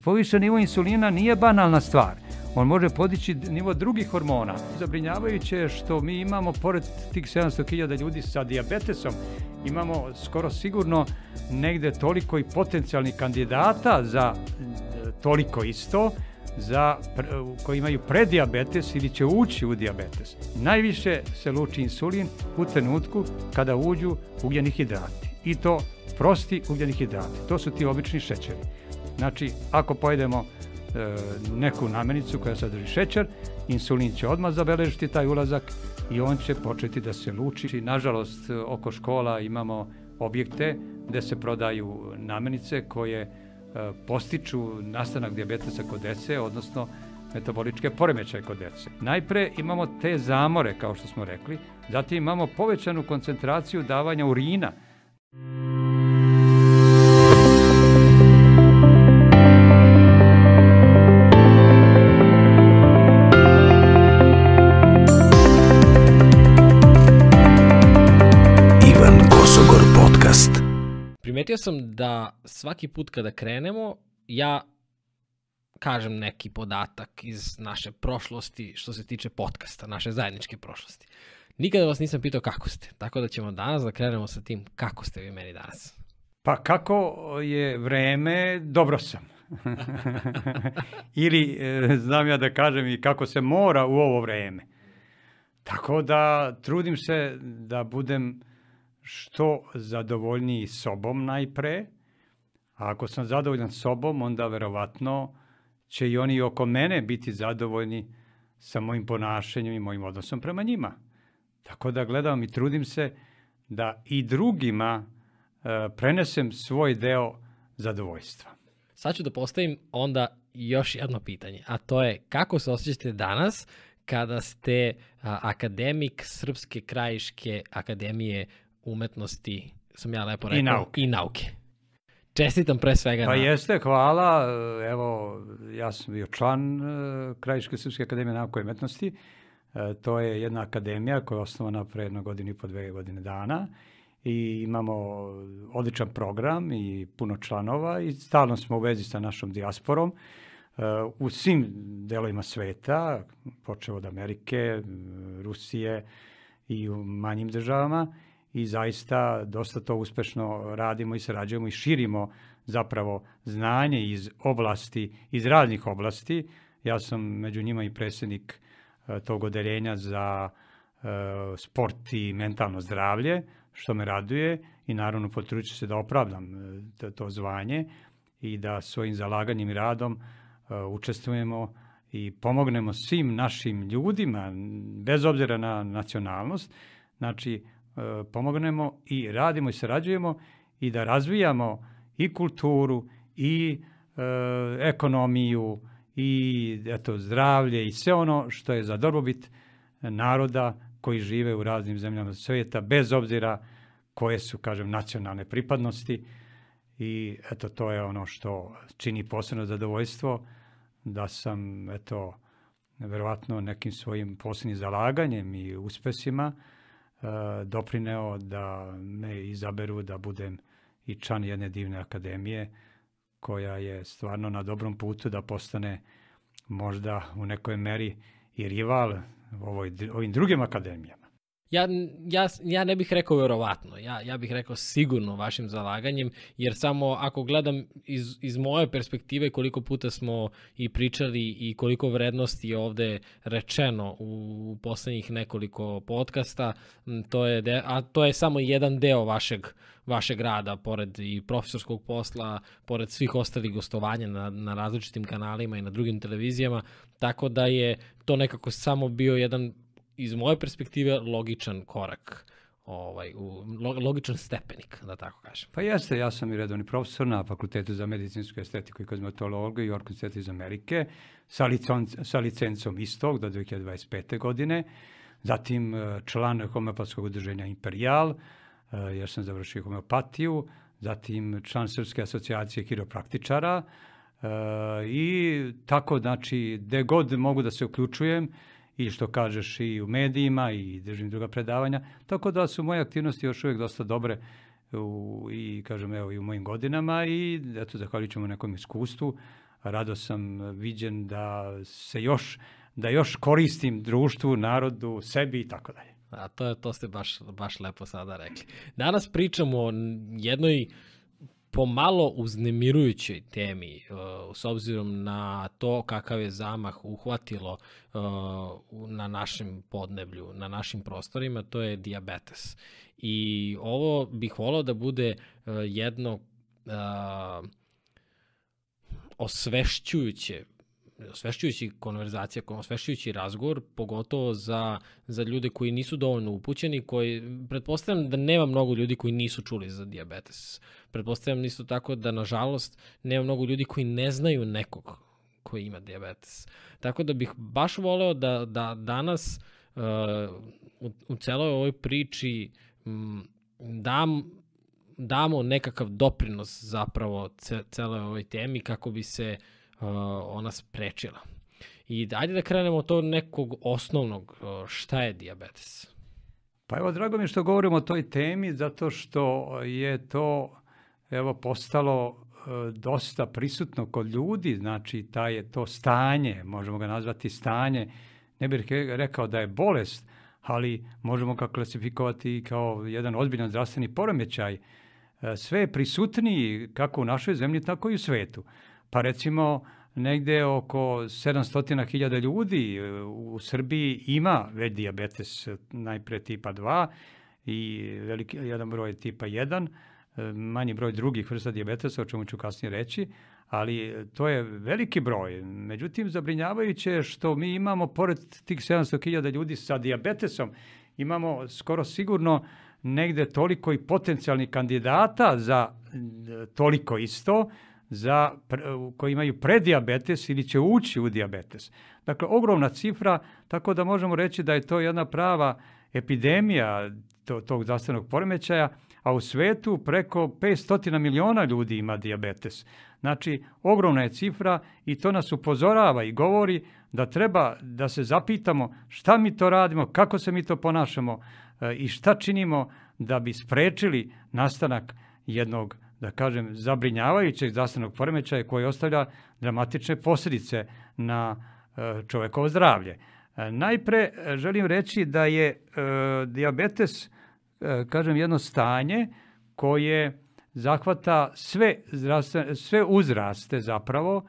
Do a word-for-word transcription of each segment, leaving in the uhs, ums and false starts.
Povišen nivo insulina nije banalna stvar. On može podići nivo drugih hormona. Zabrinjavajuće je što mi imamo, pored tih sedamsto hiljada ljudi sa dijabetesom, imamo skoro sigurno negde toliko i potencijalnih kandidata za toliko isto, za, koji imaju predijabetes ili će ući u dijabetes. Najviše se luči insulin u trenutku kada uđu ugljeni hidrati. I to prosti ugljeni hidrati. To su ti obični šećeri. Znači, ako pojedemo e, neku namirnicu koja sadrži šećer, insulin će odmah zabeležiti taj ulazak i on će početi da se luči. Nažalost, oko škola imamo objekte gde se prodaju namirnice koje e, postiču nastanak dijabetesa kod dece, odnosno metaboličke poremećaje kod dece. Najpre imamo te zamore, kao što smo rekli, zatim imamo povećanu koncentraciju davanja urina. Primetio sam da svaki put kada krenemo, ja kažem neki podatak iz naše prošlosti što se tiče podcasta, naše zajedničke prošlosti. Nikada vas nisam pitao kako ste, tako da ćemo danas da krenemo sa tim kako ste vi meni danas. Pa kako je vreme, dobro sam. Ili e, znam ja da kažem i kako se mora u ovo vreme. Tako da trudim se da budem što zadovoljniji sobom najpre, a ako sam zadovoljan sobom, onda verovatno će i oni oko mene biti zadovoljni sa mojim ponašanjem i mojim odnosom prema njima. Tako da gledam i trudim se da i drugima e, prenesem svoj deo zadovoljstva. Sad ću da postavim onda još jedno pitanje, a to je kako se osjećate danas kada ste a, akademik Srpske krajiške akademije umetnosti, sam ja lepo rekao, I nauke. I nauke. Čestitam pre svega. Pa na... jeste, hvala. Evo, ja sam bio član Krajiške Srpske akademije nauke i umetnosti. To je jedna akademija koja je osnovana pre jedno godinu i po dve godine dana i imamo odličan program i puno članova i stalno smo u vezi sa našom dijasporom u svim delovima sveta, počeo od Amerike, Rusije i u manjim državama. I zaista dosta to uspešno radimo i sarađujemo i širimo zapravo znanje iz oblasti, iz raznih oblasti. Ja sam među njima i predsjednik tog odeljenja za uh, sport i mentalno zdravlje, što me raduje i naravno potrudit ću se da opravdam to, to zvanje i da svojim zalaganjem i radom uh, učestvujemo i pomognemo svim našim ljudima, bez obzira na nacionalnost, znači pomognemo i radimo i sarađujemo i da razvijamo i kulturu i e, ekonomiju i eto, zdravlje i sve ono što je za dobrobit naroda koji žive u raznim zemljama svijeta, bez obzira koje su, kažem, nacionalne pripadnosti. I eto, to je ono što čini posebno zadovoljstvo, da sam, eto, verovatno nekim svojim posebnim zalaganjem i uspesima doprineo da me izaberu da budem i član jedne divne akademije koja je stvarno na dobrom putu da postane možda u nekoj meri i rival ovoj, ovim drugim akademijama. Ja, ja, ja ne bih rekao verovatno, ja, ja bih rekao sigurno vašim zalaganjem, jer samo ako gledam iz, iz moje perspektive koliko puta smo i pričali i koliko vrednosti je ovde rečeno u poslednjih nekoliko podcasta, to je de, a to je samo jedan deo vašeg, vašeg rada, pored i profesorskog posla, pored svih ostalih gostovanja na, na različitim kanalima i na drugim televizijama, tako da je to nekako samo bio jedan, iz moje perspektive, logičan korak, ovaj, u, logičan stepenik, da tako kažem. Pa jeste, ja sam i redovni profesor na Fakultetu za medicinsku estetiku i kozmetologiju i York Institute iz Amerike, sa, licon, sa licencom istog do dve hiljade dvadeset pete. godine, zatim član homeopatskog udruženja Imperial, jer sam završio homeopatiju, zatim član Srpske asocijacije hiropraktičara i tako, znači, gde god mogu da se uključujem, i što kažeš i u medijima i držim druga predavanja, tako da su moje aktivnosti još uvijek dosta dobre u, i kažem evo i u mojim godinama i eto zahvalit ćemo nekom iskustvu, rado sam viđen da se još, da još koristim društvu, narodu, sebi i tako dalje. A to, to ste baš, baš lepo sada rekli. Danas pričamo o jednoj pomalo uznemirujućoj temi, uh, s obzirom na to kakav je zamah uhvatilo uh, na našem podneblju, na našim prostorima, to je dijabetes. I ovo bih volao da bude uh, jedno uh, osvešćujuće osvešćujući konverzacija, osvešćujući razgovor, pogotovo za, za ljude koji nisu dovoljno upućeni, koji, pretpostavljam da nema mnogo ljudi koji nisu čuli za dijabetes. Pretpostavljam isto tako da, nažalost, nema mnogo ljudi koji ne znaju nekog koji ima dijabetes. Tako da bih baš voleo da, da danas uh, u, u celoj ovoj priči um, dam, damo nekakav doprinos zapravo ce, celoj ovoj temi kako bi se Uh, ona sprečila. I ajde da krenemo od tog nekog osnovnog, uh, šta je dijabetes? Pa evo, drago mi je što govorimo o toj temi, zato što je to evo postalo uh, dosta prisutno kod ljudi, znači taj je to stanje, možemo ga nazvati stanje, ne bih rekao da je bolest, ali možemo ga klasifikovati kao jedan ozbiljan zdravstveni poremećaj. Uh, sve je prisutniji kako u našoj zemlji, tako i u svetu. Pa recimo negde oko sedamsto hiljada ljudi u Srbiji ima već dijabetes, najpre tipa dva i veliki, jedan broj tipa jedan, manji broj drugih vrsta dijabetesa, o čemu ću kasnije reći, ali to je veliki broj. Međutim, zabrinjavajuće je što mi imamo, pored tih sedamsto hiljada ljudi sa dijabetesom, imamo skoro sigurno negde toliko i potencijalnih kandidata za toliko isto, za, koji imaju predijabetes ili će ući u dijabetes. Dakle, ogromna cifra, tako da možemo reći da je to jedna prava epidemija to, tog zdravstvenog poremećaja, a u svetu preko petsto miliona ljudi ima dijabetes. Znači, ogromna je cifra i to nas upozorava i govori da treba da se zapitamo šta mi to radimo, kako se mi to ponašamo e, i šta činimo da bi sprečili nastanak jednog, da kažem, zabrinjavajućeg zdravstvenog poremećaja koji ostavlja dramatične posljedice na čovekovo zdravlje. Najpre želim reći da je e, dijabetes, e, kažem, jedno stanje koje zahvata sve, sve uzraste zapravo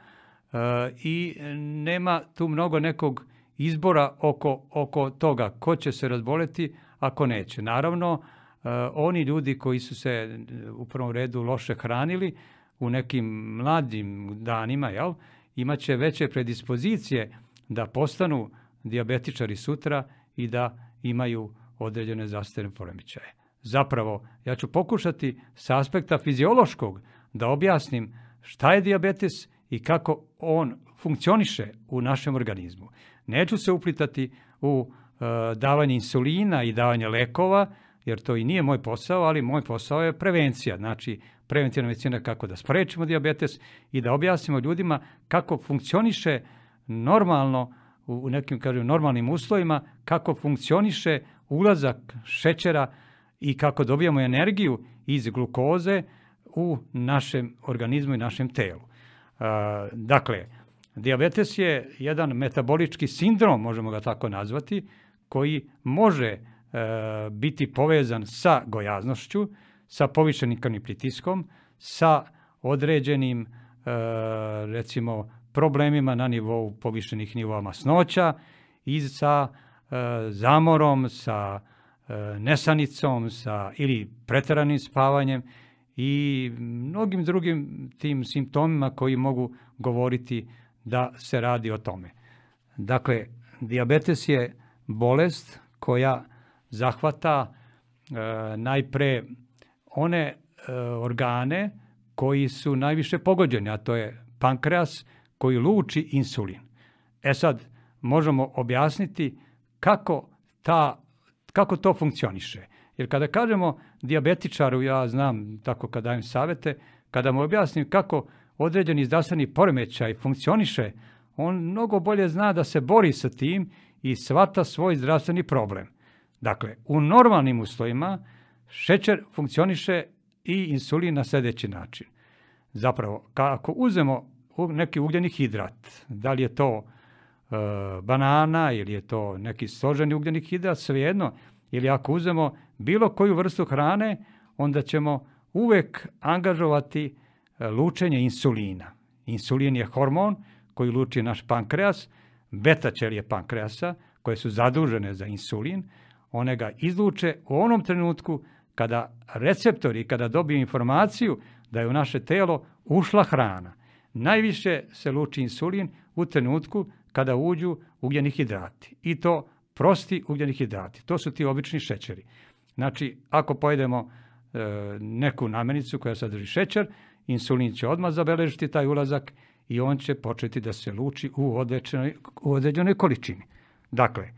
e, i nema tu mnogo nekog izbora oko, oko toga ko će se razboleti, ako neće. Naravno, Uh, oni ljudi koji su se u prvom redu loše hranili u nekim mladim danima, jel, imat će veće predispozicije da postanu dijabetičari sutra i da imaju određene zdravstvene poremećaje. Zapravo, ja ću pokušati sa aspekta fiziološkog da objasnim šta je dijabetes i kako on funkcioniše u našem organizmu. Neću se uplitati u uh, davanje insulina i davanje lekova, jer to i nije moj posao, ali moj posao je prevencija. Znači, preventivna medicina kako da sprečimo dijabetes i da objasnimo ljudima kako funkcioniše normalno, u nekim, kažem, normalnim uslovima, kako funkcioniše ulazak šećera i kako dobijamo energiju iz glukoze u našem organizmu i našem telu. Uh, dakle, dijabetes je jedan metabolički sindrom, možemo ga tako nazvati, koji može biti povezan sa gojaznošću, sa povišenim krvnim pritiskom, sa određenim, recimo, problemima na nivou povišenih nivoa masnoća i sa zamorom, sa nesanicom, sa ili preteranim spavanjem i mnogim drugim tim simptomima koji mogu govoriti da se radi o tome. Dakle, dijabetes je bolest koja zahvata e, najpre one e, organe koji su najviše pogođeni, a to je pankreas koji luči insulin. E sad, možemo objasniti kako, ta, kako to funkcioniše. Jer kada kažemo dijabetičaru, ja znam tako kad dajem savete, kada mu objasnim kako određeni zdravstveni poremećaj funkcioniše, on mnogo bolje zna da se bori sa tim i shvata svoj zdravstveni problem. Dakle, u normalnim uslovima šećer funkcioniše i insulin na sljedeći način. Zapravo, ako uzmemo neki ugljeni hidrat. Da li je to e, banana ili je to neki složeni ugljeni hidrat, svejedno. Ili ako uzmemo bilo koju vrstu hrane, onda ćemo uvek angažovati lučenje insulina. Insulin je hormon koji luči naš pankreas, beta ćelije pankreasa, koje su zadužene za insulin, one ga izluče u onom trenutku kada receptori, kada dobiju informaciju da je u naše telo ušla hrana. Najviše se luči insulin u trenutku kada uđu ugljeni hidrati. I to prosti ugljeni hidrati. To su ti obični šećeri. Znači, ako pojedemo e, neku namirnicu koja sadrži šećer, insulin će odmah zabeležiti taj ulazak i on će početi da se luči u određenoj, u određenoj količini. Dakle,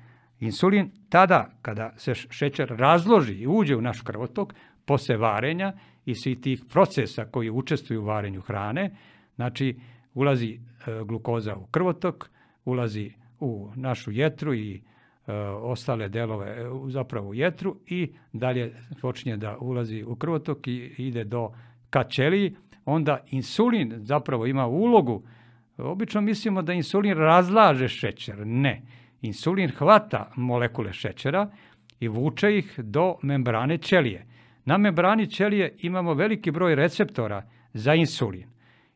insulin tada kada se šećer razloži i uđe u naš krvotok, posle varenja i svih tih procesa koji učestvuju u varenju hrane, znači ulazi e, glukoza u krvotok, ulazi u našu jetru i e, ostale delove e, zapravo u jetru i dalje počinje da ulazi u krvotok i ide do ka ćeliji, onda insulin zapravo ima ulogu. Obično mislimo da insulin razlaže šećer. Ne. Insulin hvata molekule šećera i vuče ih do membrane ćelije. Na membrani ćelije imamo veliki broj receptora za insulin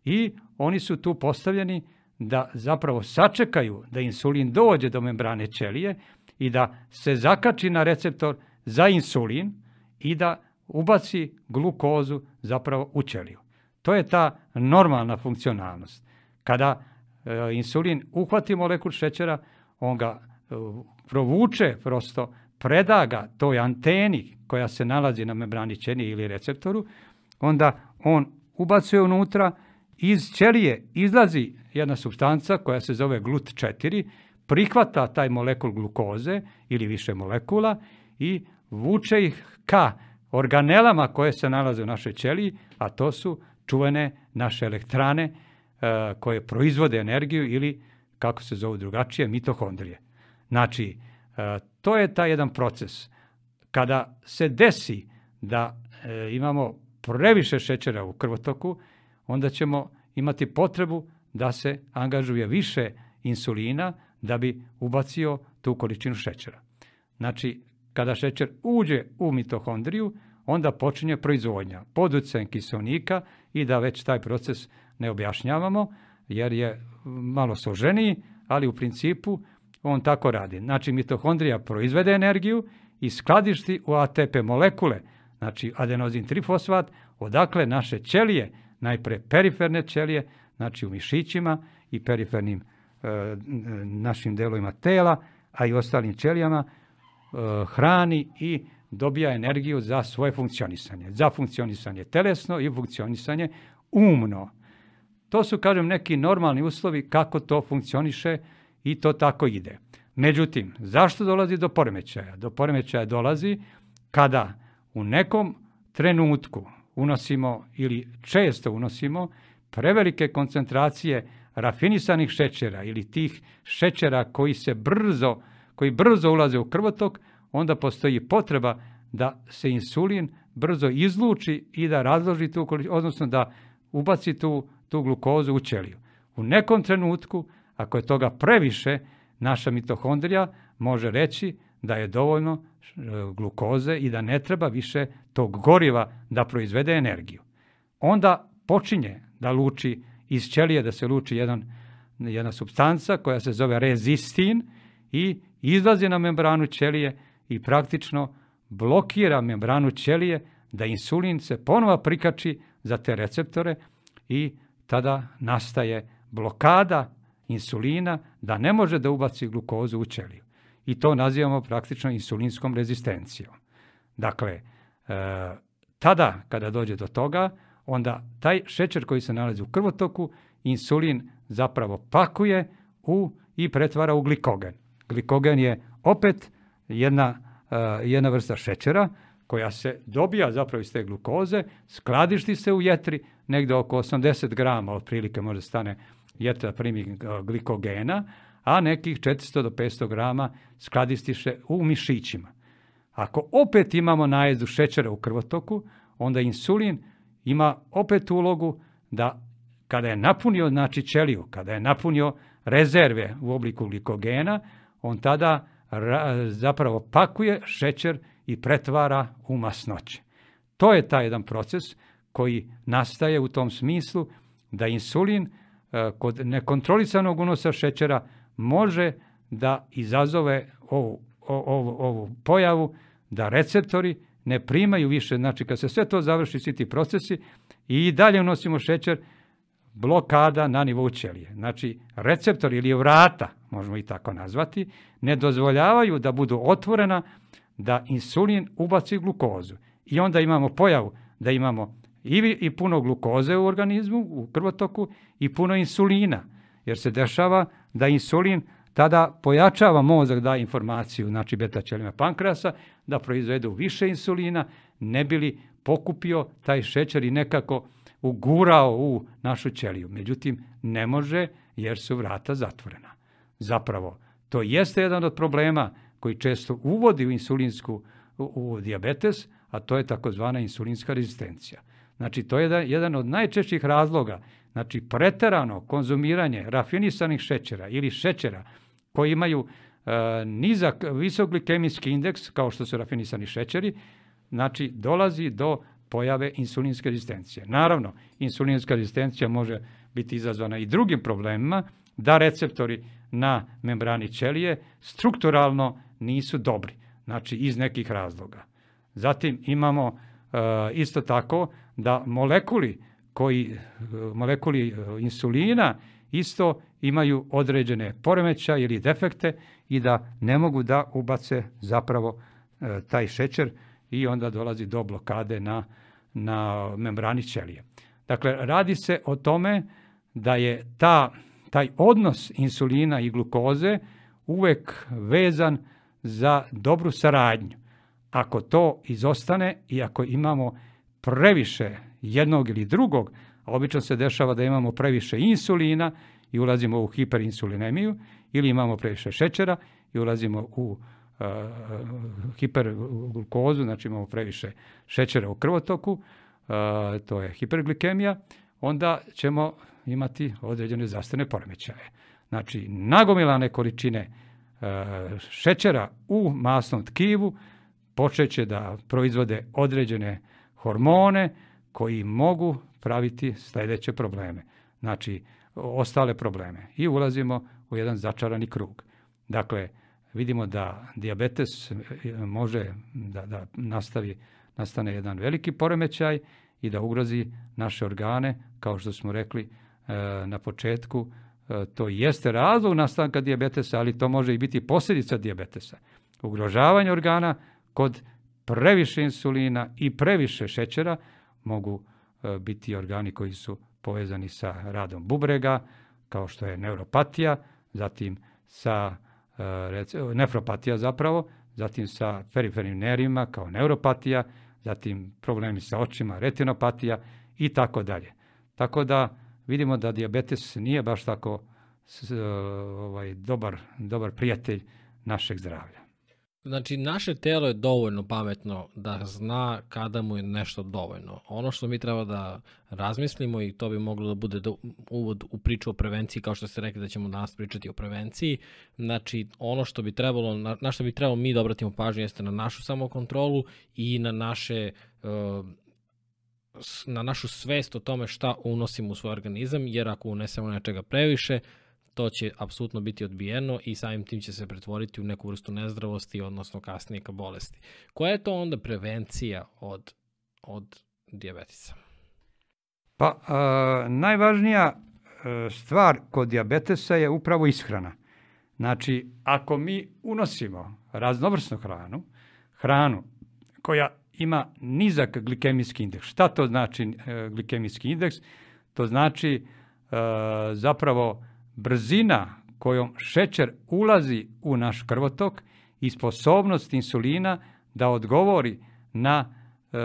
i oni su tu postavljeni da zapravo sačekaju da insulin dođe do membrane ćelije i da se zakači na receptor za insulin i da ubaci glukozu zapravo u ćeliju. To je ta normalna funkcionalnost. Kada e, insulin uhvati molekul šećera, on ga e, provuče, prosto preda ga toj anteni koja se nalazi na membrani ćelije ili receptoru, onda on ubacuje unutra, iz ćelije izlazi jedna supstanca koja se zove glut četiri, prihvata taj molekul glukoze ili više molekula i vuče ih ka organelama koje se nalaze u našoj ćeliji, a to su čuvene naše elektrane e, koje proizvode energiju ili, kako se zovu drugačije, mitohondrije. Znači, e, to je taj jedan proces. Kada se desi da e, imamo previše šećera u krvotoku, onda ćemo imati potrebu da se angažuje više insulina da bi ubacio tu količinu šećera. Znači, kada šećer uđe u mitohondriju, onda počinje proizvodnja pod utjecajem kiseonika i da već taj proces ne objašnjavamo, jer je malo složeniji, ali u principu on tako radi. Znači, mitohondrija proizvede energiju i skladišti u A T P molekule, znači adenozin trifosfat, odakle naše ćelije, najpre periferne ćelije, znači u mišićima i perifernim e, našim delovima tela, a i ostalim ćelijama, e, hrani i dobija energiju za svoje funkcionisanje. Za funkcionisanje telesno i funkcionisanje umno. To su, kažem, neki normalni uslovi kako to funkcioniše i to tako ide. Međutim, zašto dolazi do poremećaja? Do poremećaja dolazi kada u nekom trenutku unosimo ili često unosimo prevelike koncentracije rafinisanih šećera ili tih šećera koji se brzo, koji brzo ulaze u krvotok, onda postoji potreba da se insulin brzo izluči i da razloži tu, odnosno da ubaci tu, tu glukozu u ćeliju. U nekom trenutku, ako je toga previše, naša mitohondrija može reći da je dovoljno glukoze i da ne treba više tog goriva da proizvede energiju. Onda počinje da luči iz ćelije, da se luči jedan, jedna supstanca koja se zove rezistin i izlazi na membranu ćelije i praktično blokira membranu ćelije da insulin se ponovo prikači za te receptore i tada nastaje blokada insulina da ne može da ubaci glukozu u ćeliju. I to nazivamo praktično insulinskom rezistencijom. Dakle, e, tada kada dođe do toga, onda taj šećer koji se nalazi u krvotoku, insulin zapravo pakuje u, i pretvara u glikogen. Glikogen je opet jedna, e, jedna vrsta šećera koja se dobija zapravo iz te glukoze, skladišti se u jetri, negde oko osamdeset grama otprilike može stane jetra primi glikogena, a nekih četiristo do petsto grama skladistiše u mišićima. Ako opet imamo najezdu šećera u krvotoku, onda insulin ima opet ulogu da kada je napunio znači ćeliju, kada je napunio rezerve u obliku glikogena, on tada zapravo pakuje šećer i pretvara u masnoće. To je taj jedan proces koji nastaje u tom smislu da insulin kod nekontrolisanog unosa šećera može da izazove ovu, ovu, ovu pojavu da receptori ne primaju više, znači kad se sve to završi, svi ti procesi i dalje unosimo šećer, blokada na nivou ćelije. Znači receptori ili vrata, možemo i tako nazvati, ne dozvoljavaju da budu otvorena da insulin ubaci glukozu. I onda imamo pojavu da imamo i, i puno glukoze u organizmu, u krvotoku i puno insulina, jer se dešava da insulin tada pojačava mozak, da informaciju, znači beta ćelijama pankreasa, da proizvedu više insulina, ne bi li pokupio taj šećer i nekako ugurao u našu ćeliju. Međutim, ne može jer su vrata zatvorena. Zapravo, to jeste jedan od problema koji često uvodi u insulinsku, u, u dijabetes, a to je takozvana insulinska rezistencija. Znači, to je jedan od najčešćih razloga, znači preterano konzumiranje rafinisanih šećera ili šećera koji imaju e, nizak, visok glikemijski indeks, kao što su rafinisani šećeri, znači dolazi do pojave insulinske rezistencije. Naravno, insulinska rezistencija može biti izazvana i drugim problemima, da receptori na membrani ćelije strukturalno nisu dobri, znači iz nekih razloga. Zatim imamo e, isto tako da molekuli koji molekuli insulina isto imaju određene poremećaje ili defekte i da ne mogu da ubace zapravo e, taj šećer i onda dolazi do blokade na, na membrani ćelije. Dakle, radi se o tome da je ta, taj odnos insulina i glukoze uvek vezan za dobru saradnju. Ako to izostane i ako imamo previše jednog ili drugog, a obično se dešava da imamo previše insulina i ulazimo u hiperinsulinemiju, ili imamo previše šećera i ulazimo u uh, hiperglukozu, znači imamo previše šećera u krvotoku, uh, to je hiperglikemija, onda ćemo imati određene zdravstvene poremećaje. Znači, nagomilane količine uh, šećera u masnom tkivu počeće da proizvode određene hormone koji mogu praviti sljedeće probleme. Znači, ostale probleme. I ulazimo u jedan začarani krug. Dakle, vidimo da dijabetes može da, da nastavi, nastane jedan veliki poremećaj i da ugrozi naše organe, kao što smo rekli e, na početku. E, to jeste razlog nastanka dijabetesa, ali to može i biti posljedica dijabetesa. Ugrožavanje organa kod previše insulina i previše šećera mogu e, biti organi koji su povezani sa radom bubrega, kao što je neuropatija, zatim sa e, nefropatija zapravo, zatim sa perifernim nervima kao neuropatija, zatim problemi sa očima, retinopatija i tako dalje. Tako da vidimo da dijabetes nije baš tako s, ovaj, dobar, dobar prijatelj našeg zdravlja. Znači, naše telo je dovoljno pametno da zna kada mu je nešto dovoljno. Ono što mi treba da razmislimo, i to bi moglo da bude uvod u priču o prevenciji, kao što ste rekli da ćemo danas pričati o prevenciji, znači ono što bi trebalo, na, na što bi trebalo mi da obratimo pažnju jeste na našu samokontrolu i na naše na našu svest o tome šta unosimo u svoj organizam, jer ako unesemo nečega previše, to će apsolutno biti odbijeno i samim tim će se pretvoriti u neku vrstu nezdravosti, odnosno kasnije ka bolesti. Koja je to onda prevencija od, od dijabetesa? Pa, a, najvažnija stvar kod dijabetesa je upravo ishrana. Znači, ako mi unosimo raznovrsnu hranu, hranu koja ima nizak glikemijski indeks. Šta to znači e, glikemijski indeks? To znači e, zapravo brzina kojom šećer ulazi u naš krvotok i sposobnost insulina da odgovori na e,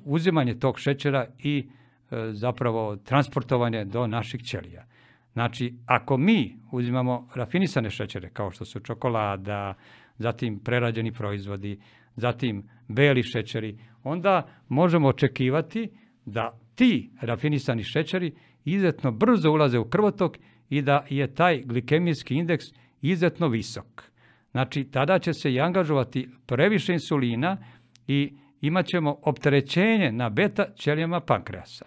uzimanje tog šećera i e, zapravo transportovanje do naših ćelija. Znači, ako mi uzimamo rafinisane šećere, kao što su čokolada, zatim prerađeni proizvodi, zatim beli šećeri, onda možemo očekivati da ti rafinisani šećeri izuzetno brzo ulaze u krvotok i da je taj glikemijski indeks izuzetno visok. Znači, tada će se i angažovati previše insulina i imat ćemo opterećenje na beta ćelijama pankreasa.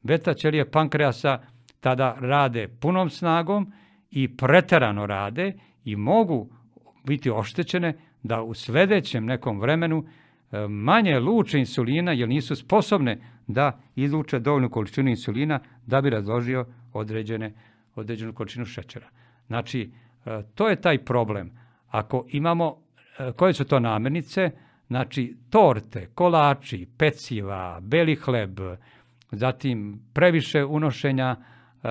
Beta ćelije pankreasa tada rade punom snagom i preterano rade i mogu biti oštećene da u sljedećem nekom vremenu manje luče insulina jer nisu sposobne da izluče dovoljnu količinu insulina da bi razložio određene, određenu količinu šećera. Znači, to je taj problem. Ako imamo, koje su to namirnice? Znači, torte, kolači, peciva, beli hleb, zatim previše unošenja e,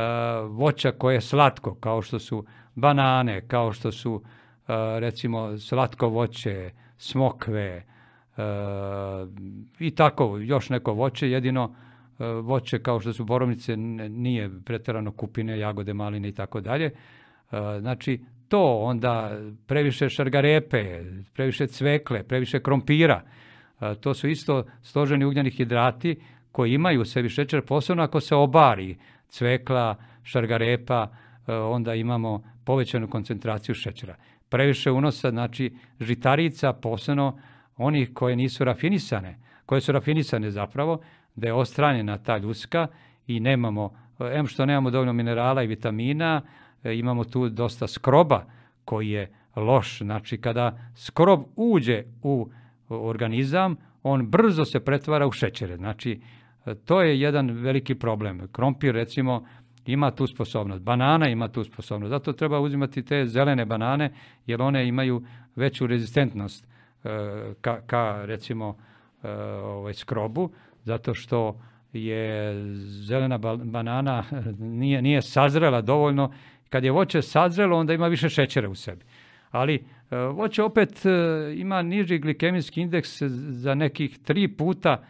voća koje je slatko, kao što su banane, kao što su e, recimo slatko voće, smokve e, i tako još neko voće, jedino e, voće kao što su borovnice nije pretjerano kupine, jagode, maline i tako dalje. E, znači, to onda previše šargarepe, previše cvekle, previše krompira, e, to su isto složeni ugljeni hidrati koji imaju u sebi šećer, posebno ako se obari cvekla, šargarepa, onda imamo povećanu koncentraciju šećera. Previše unosa, znači žitarica, posebno onih koje nisu rafinisane, koje su rafinisane zapravo, da je ostranjena ta ljuska i nemamo, em što nemamo dovoljno minerala i vitamina, imamo tu dosta skroba koji je loš. Znači kada skrob uđe u organizam, on brzo se pretvara u šećere. Znači, to je jedan veliki problem. Krompir, recimo, ima tu sposobnost. Banana ima tu sposobnost. Zato treba uzimati te zelene banane, jer one imaju veću rezistentnost ka, ka recimo, ovaj, skrobu, zato što je zelena banana nije, nije sazrela dovoljno. Kad je voće sazrelo, onda ima više šećera u sebi. Ali voće opet ima niži glikemijski indeks za nekih tri puta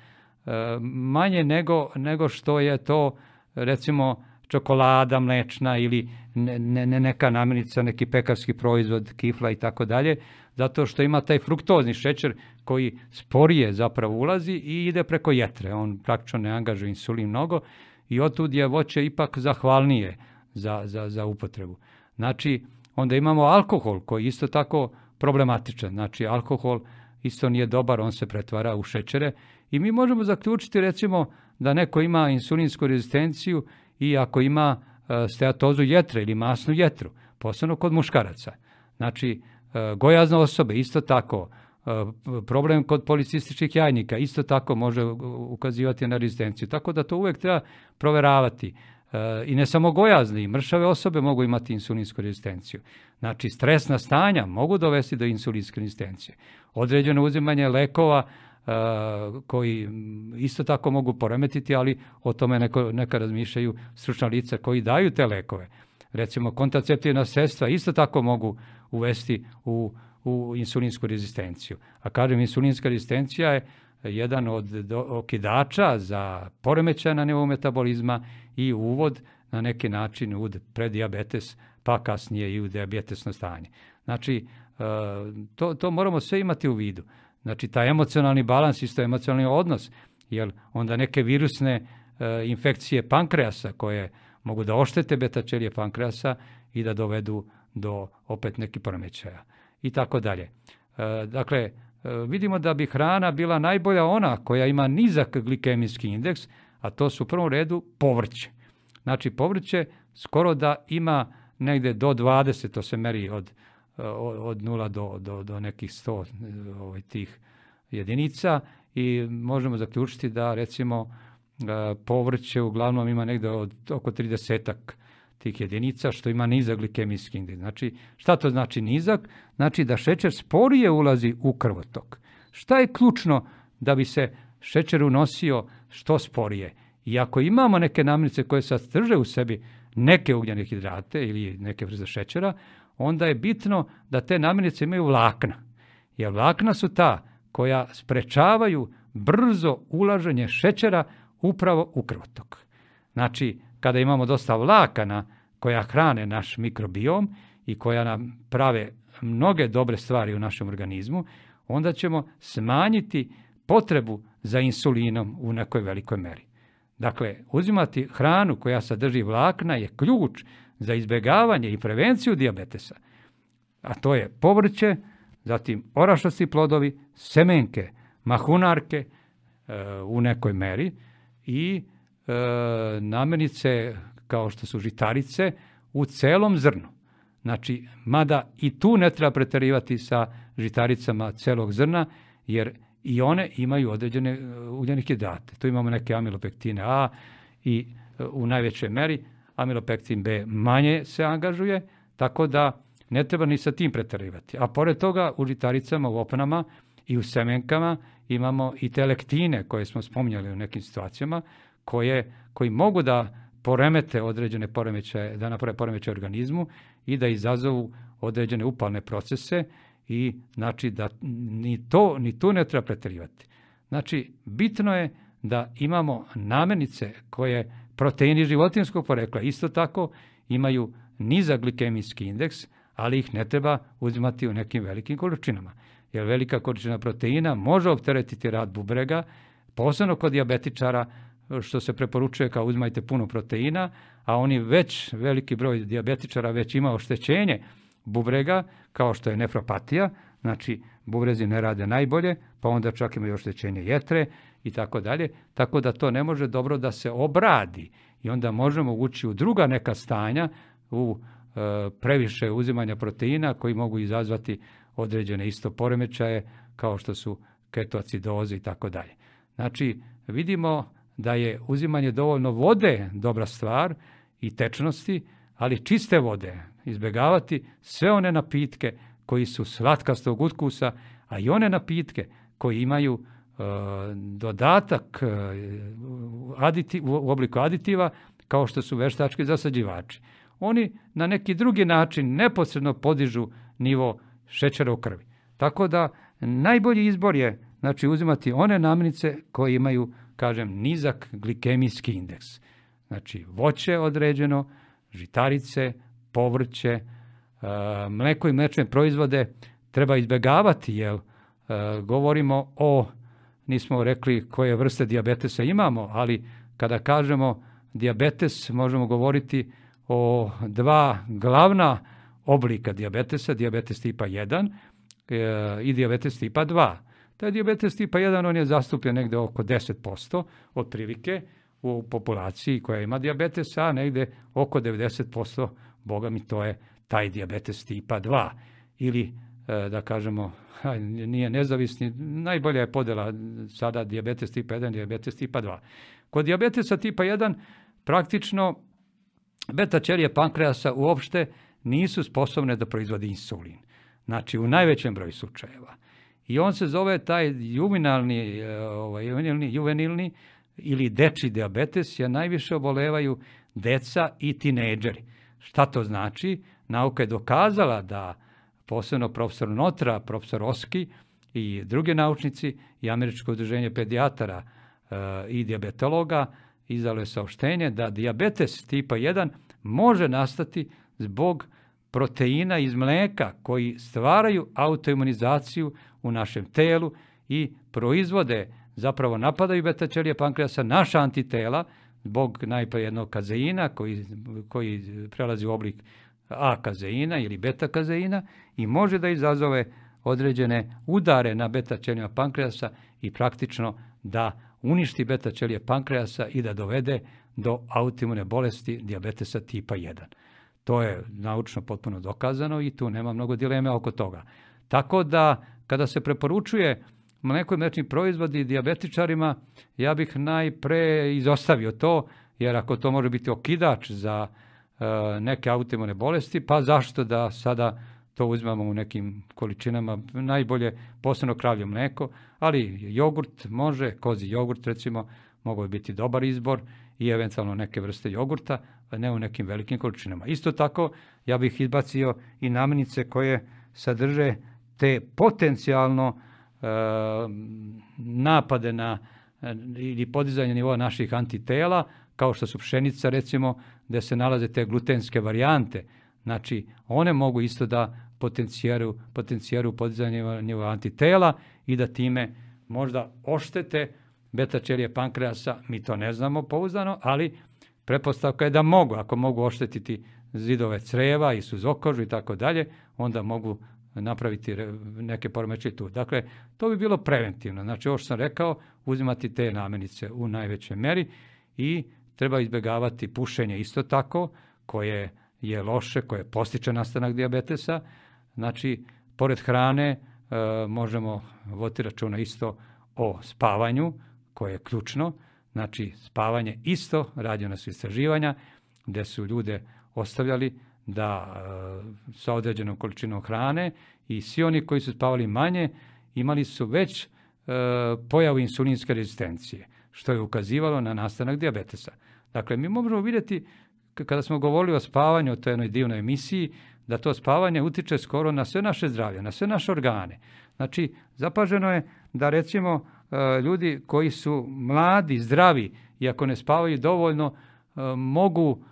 manje nego, nego što je to recimo čokolada mlečna ili ne, ne, neka namirnica, neki pekarski proizvod, kifla i tako dalje, zato što ima taj fruktozni šećer koji sporije zapravo ulazi i ide preko jetre. On praktično ne angažuje insulin mnogo i otud je voće ipak zahvalnije za, za, za upotrebu. Znači, onda imamo alkohol koji isto tako problematičan. Znači, alkohol isto nije dobar, on se pretvara u šećere i mi možemo zaključiti recimo da neko ima insulinsku rezistenciju i ako ima e, steatozu jetre ili masnu jetru, posebno kod muškaraca. Znači, e, gojazne osobe isto tako, e, problem kod policističkih jajnika isto tako može ukazivati na rezistenciju. Tako da to uvijek treba proveravati. E, I ne samo gojazni, i mršave osobe mogu imati insulinsku rezistenciju. Znači, stresna stanja mogu dovesti do insulinske rezistencije. Određeno uzimanje lekova uh, koji isto tako mogu poremetiti, ali o tome neko, neka razmišljaju stručna lica koji daju te lekove. Recimo, kontraceptivna sredstva isto tako mogu uvesti u, u insulinsku rezistenciju. A kažem, insulinska rezistencija je jedan od do, okidača za poremećaj na nivou metabolizma i uvod na neki način u predijabetes, pa kasnije i u dijabetesno stanje. Znači, to, to moramo sve imati u vidu. Znači, taj emocionalni balans, isto emocionalni odnos, jer onda neke virusne infekcije pankreasa koje mogu da oštete beta ćelije pankreasa i da dovedu do opet nekih poremećaja i tako dalje. Dakle, vidimo da bi hrana bila najbolja ona koja ima nizak glikemijski indeks, a to su u prvom redu povrće. Znači, povrće skoro da ima negde do dvadeset, to se meri od, od nula do, do, do nekih sto ovaj, tih jedinica i možemo zaključiti da recimo povrće uglavnom ima negde od oko tridesetak tih jedinica, što ima nizak glikemijski indeks. Znači, šta to znači nizak? Znači da šećer sporije ulazi u krvotok. Šta je ključno da bi se šećer unosio što sporije? I ako imamo neke namirnice koje sadrže u sebi neke ugljene hidrate ili neke vrste šećera, onda je bitno da te namirnice imaju vlakna. Jer vlakna su ta koja sprečavaju brzo ulaženje šećera upravo u krvotok. Znači, kada imamo dosta vlakana koja hrane naš mikrobiom i koja nam prave mnoge dobre stvari u našem organizmu, onda ćemo smanjiti potrebu za insulinom u nekoj velikoj meri. Dakle, uzimati hranu koja sadrži vlakna je ključ za izbjegavanje i prevenciju dijabetesa. A to je povrće, zatim orašasti plodovi, semenke, mahunarke e, u nekoj meri i e, namirnice kao što su žitarice u celom zrnu. Znači, mada i tu ne treba preterivati sa žitaricama celog zrna, jer i one imaju određene ugljene hidrate. Tu imamo neke amilopektine A i u najvećoj meri amilopektin B manje se angažuje, tako da ne treba ni sa tim preterivati. A pored toga u žitaricama, u opnama i u semenkama imamo i te lektine koje smo spominjali u nekim situacijama, koje, koji mogu da poremete određene poremećaje, da naprave poremećaje organizmu i da izazovu određene upalne procese i znači da ni to ni tu ne treba preterivati. Znači, bitno je da imamo namirnice koje proteini životinjskog porekla isto tako imaju nizak glikemijski indeks, ali ih ne treba uzimati u nekim velikim količinama. Jer velika količina proteina može opteretiti rad bubrega, posebno kod dijabetičara, što se preporučuje kao uzmajte puno proteina, a oni već, veliki broj dijabetičara već ima oštećenje bubrega, kao što je nefropatija, znači bubrezi ne rade najbolje, pa onda čak imaju oštećenje jetre i tako dalje, tako da to ne može dobro da se obradi i onda možemo ući u druga neka stanja, u e, previše uzimanja proteina koji mogu izazvati određene isto poremećaje kao što su ketoacidoze i tako dalje. Znači, vidimo da je uzimanje dovoljno vode dobra stvar i tečnosti, ali čiste vode, izbjegavati sve one napitke koji su slatkastog ukusa, a i one napitke koji imaju e, dodatak e, aditi, u obliku aditiva, kao što su veštački zasađivači. Oni na neki drugi način neposredno podižu nivo šećera u krvi. Tako da najbolji izbor je znači, uzimati one namirnice koje imaju, kažem, nizak glikemijski indeks. Znači, voće određeno, žitarice, povrće, mleko i mlečne proizvode treba izbjegavati, jer govorimo o, nismo rekli koje vrste dijabetesa imamo, ali kada kažemo dijabetes, možemo govoriti o dva glavna oblika dijabetesa, dijabetes tipa jedan i dijabetes tipa dva. Taj dijabetes tipa jedan, on je zastupljen negde oko deset posto otprilike u populaciji koja ima dijabetes, a negde oko devedeset posto, boga mi, to je taj dijabetes tipa dva. Ili, da kažemo, nije nezavisni, najbolja je podela sada dijabetes tipa jedan, dijabetes tipa dva. Kod dijabetesa tipa jedan praktično beta ćelije pankreasa uopšte nisu sposobne da proizvode insulin. Znači, u najvećem broju slučajeva. I on se zove taj juvenilni, ovaj, juvenilni, juvenilni ili dečji dijabetes, jer najviše obolevaju deca i tinejdžeri. Šta to znači? Nauka je dokazala da posebno profesor Notra, profesor Oski i drugi naučnici i Američko udruženje pedijatara e, i dijabetologa izdalo je saopštenje da dijabetes tipa jedan može nastati zbog proteina iz mleka koji stvaraju autoimunizaciju u našem telu i proizvode, zapravo napadaju beta ćelije pankreasa, naša antitela, zbog najprije jednog kazeina koji, koji prelazi u oblik A kazeina ili beta kazeina i može da izazove određene udare na beta ćelijama pankreasa i praktično da uništi beta ćelije pankreasa i da dovede do autoimune bolesti dijabetesa tipa jedan. To je naučno potpuno dokazano i tu nema mnogo dileme oko toga. Tako da, kada se preporučuje mleko i mlečni proizvodi dijabetičarima, ja bih najpre izostavio to, jer ako to može biti okidač za e, neke autoimune bolesti, pa zašto da sada to uzmamo u nekim količinama, najbolje posebno kravlje mleko, ali jogurt može, kozi jogurt recimo, mogu biti dobar izbor i eventualno neke vrste jogurta, a ne u nekim velikim količinama. Isto tako, ja bih izbacio i namirnice koje sadrže te potencijalno e, napade na e, ili podizanje nivoa naših antitela, kao što su pšenica recimo, gde se nalaze te glutenske varijante. Znači, one mogu isto da potencijiraju, potencijiraju podizanje nivoa antitela i da time možda oštete beta ćelije pankreasa, mi to ne znamo pouzdano, ali pretpostavka je da mogu, ako mogu oštetiti zidove creva i suzokožu i tako dalje, onda mogu napraviti neke poremećaje tu. Dakle, to bi bilo preventivno. Znači, ovo što sam rekao, uzimati te namirnice u najvećoj meri i treba izbjegavati pušenje isto tako, koje je loše, koje postiče nastanak dijabetesa. Znači, pored hrane e, možemo voditi računa isto o spavanju, koje je ključno. Znači, spavanje isto, rađena su istraživanja, gdje su ljude ostavljali da e, sa određenom količinom hrane i svi oni koji su spavali manje imali su već e, pojavu insulinske rezistencije, što je ukazivalo na nastanak dijabetesa. Dakle, mi možemo vidjeti, kada smo govorili o spavanju, o toj jednoj divnoj emisiji, da to spavanje utiče skoro na sve naše zdravlje, na sve naše organe. Znači, zapaženo je da recimo e, ljudi koji su mladi, zdravi, i ako ne spavaju dovoljno, e, mogu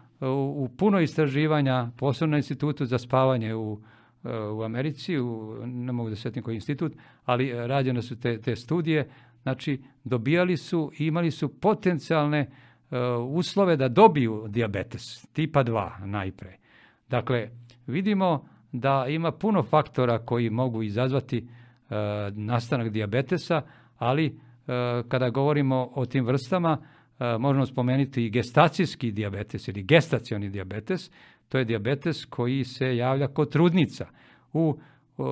u puno istraživanja, posebno na institutu za spavanje u, u Americi, u, ne mogu da sjetim koji institut, ali rađene su te, te studije, znači dobijali su i imali su potencijalne uh, uslove da dobiju dijabetes, tipa dva najpre. Dakle, vidimo da ima puno faktora koji mogu izazvati uh, nastanak dijabetesa, ali uh, kada govorimo o tim vrstama, Uh, možemo spomenuti i gestacijski dijabetes ili gestacioni dijabetes. To je dijabetes koji se javlja kod trudnica. U, uh,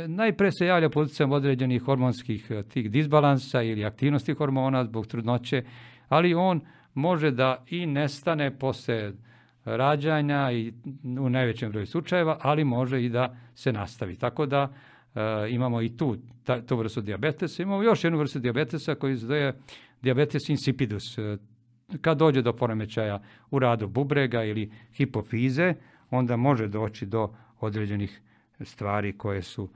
najpre se javlja pod utjecajem određenih hormonskih uh, tih disbalansa ili aktivnosti hormona zbog trudnoće, ali on može da i nestane posle rađanja i u najvećem broju slučajeva, ali može i da se nastavi. Tako da uh, imamo i tu ta, tu vrstu dijabetesa. Imamo još jednu vrstu dijabetesa koji se zove diabetes insipidus. Kad dođe do poremećaja u radu bubrega ili hipofize, onda može doći do određenih stvari koje su,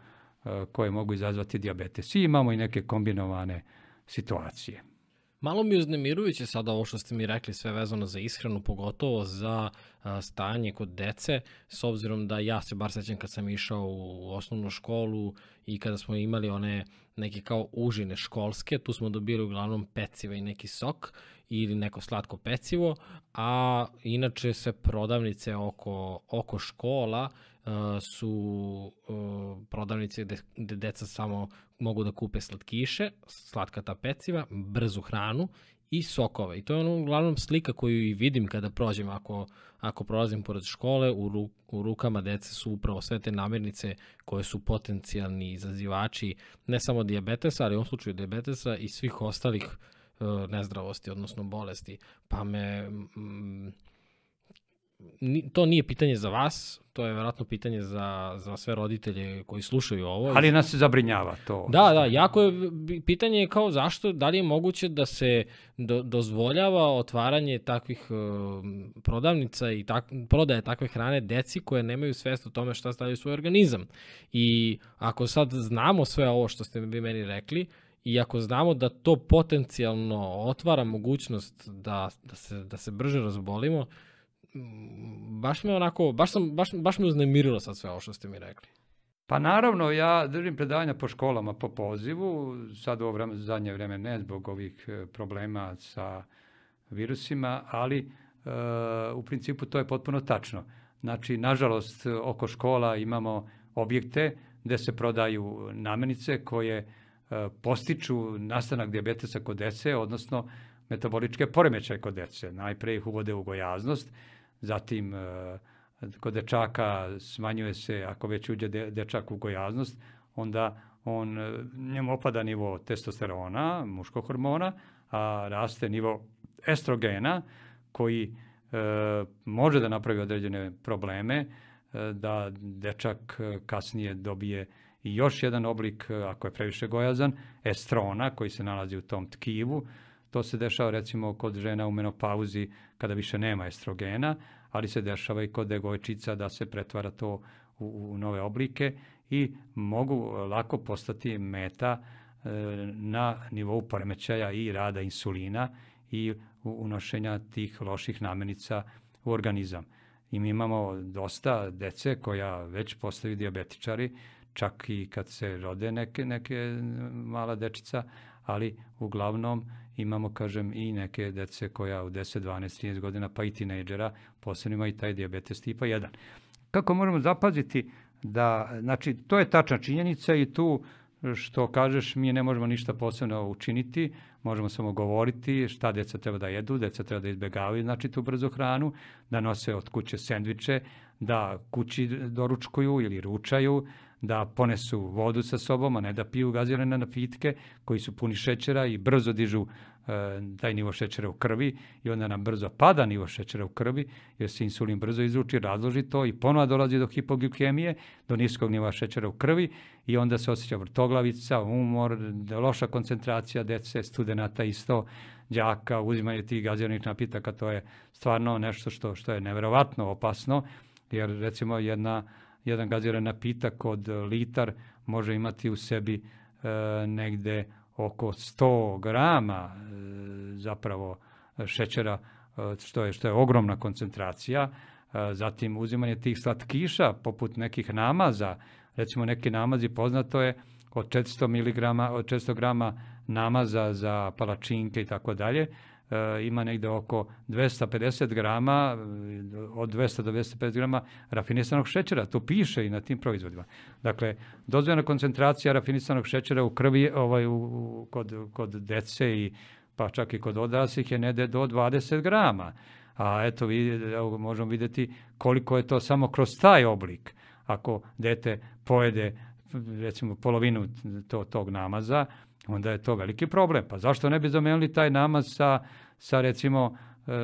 koje mogu izazvati dijabetes. I imamo i neke kombinovane situacije. Malo mi je uznemirujuće sada ovo što ste mi rekli, sve vezano za ishranu, pogotovo za a, stanje kod dece, s obzirom da ja se bar sećam kad sam išao u osnovnu školu i kada smo imali one neke kao užine školske, tu smo dobili uglavnom peciva i neki sok ili neko slatko pecivo, a inače sve prodavnice oko, oko škola uh, su uh, prodavnice gde, gde deca samo mogu da kupe slatkiše, slatka ta peciva, brzu hranu i sokove. I to je ono uglavnom slika koju i vidim kada prođem, ako, ako prolazim pored škole, u, ru, u rukama dece su upravo sve te namirnice koje su potencijalni izazivači ne samo dijabetesa, ali u ovom slučaju dijabetesa i svih ostalih uh, nezdravosti, odnosno bolesti. Pa me... Mm, to nije pitanje za vas, to je vjerojatno pitanje za, za sve roditelje koji slušaju ovo. Ali nas se zabrinjava to. Da, da, jako je, pitanje je kao zašto, da li je moguće da se do, dozvoljava otvaranje takvih uh, prodavnica i tak, prodaje takve hrane deci koje nemaju svest o tome šta stavljaju u svoj organizam. I ako sad znamo sve ovo što ste vi meni rekli, i ako znamo da to potencijalno otvara mogućnost da, da, se, da se brže razbolimo, baš me onako, baš, sam, baš, baš me uznemirilo sad sve ovo što ste mi rekli. Pa naravno, ja držim predavanja po školama po pozivu, sad u ovo vreme, zadnje vreme ne zbog ovih problema sa virusima, ali e, u principu to je potpuno tačno. Znači, nažalost, oko škola imamo objekte gde se prodaju namirnice koje e, postiču nastanak dijabetesa kod dece, odnosno metaboličke poremećaje kod dece. Najpre ih uvode u gojaznost, zatim kod dečaka smanjuje se, ako već uđe dečak u gojaznost, onda on, njemu opada nivo testosterona, muškog hormona, a raste nivo estrogena koji e, može da napravi određene probleme, e, da dečak kasnije dobije i još jedan oblik, ako je previše gojazan, estrona koji se nalazi u tom tkivu. To se dešava recimo kod žena u menopauzi kada više nema estrogena, ali se dešava i kod devojčica da se pretvara to u, u nove oblike i mogu lako postati meta e, na nivou poremećaja i rada insulina i unošenja tih loših namirnica u organizam. I mi imamo dosta dece koja već postaju dijabetičari, čak i kad se rode neke, neke mala dečica, ali uglavnom imamo, kažem, i neke dece koja u deset, dvanaest, trinaest godina, pa i tinejdžera, posebno ima i taj dijabetes tipa jedan. Kako možemo zapaziti da, znači, to je tačna činjenica i tu što kažeš, mi ne možemo ništa posebno učiniti, možemo samo govoriti šta deca treba da jedu, deca treba da izbjegavaju, znači tu brzu hranu, da nose od kuće sendviče, da kući doručkuju ili ručaju, da ponesu vodu sa sobom, a ne da piju gazirane napitke koji su puni šećera i brzo dižu e, taj nivo šećera u krvi i onda nam brzo pada nivo šećera u krvi jer se insulin brzo izruči, razloži to i ponovo dolazi do hipoglikemije, do niskog nivoa šećera u krvi i onda se osjeća vrtoglavica, umor, loša koncentracija dece, studenata isto, đaka, uzimanje tih gaziranih napitaka, to je stvarno nešto što, što je neverovatno opasno jer recimo jedna jedan gaziran napitak od litar može imati u sebi e, negde oko sto grama e, zapravo šećera, e, što je, što je ogromna koncentracija. E, zatim uzimanje tih slatkiša poput nekih namaza, recimo neki namazi poznato je od četiristo miligrama, od četiristo grama namaza za palačinke i tako dalje. Ima negde oko dvesta pedeset grama, od dvesta do dvesta pedeset grama rafinisanog šećera, to piše i na tim proizvodima. Dakle, dozvoljena koncentracija rafinisanog šećera u krvi ovaj, u, kod, kod dece i pa čak i kod odraslih je negde do dvadeset grama. A eto, evo, možemo vidjeti koliko je to samo kroz taj oblik. Ako dete pojede recimo polovinu to, tog namaza, onda je to veliki problem. Pa zašto ne bi zamenili taj namaz sa, sa recimo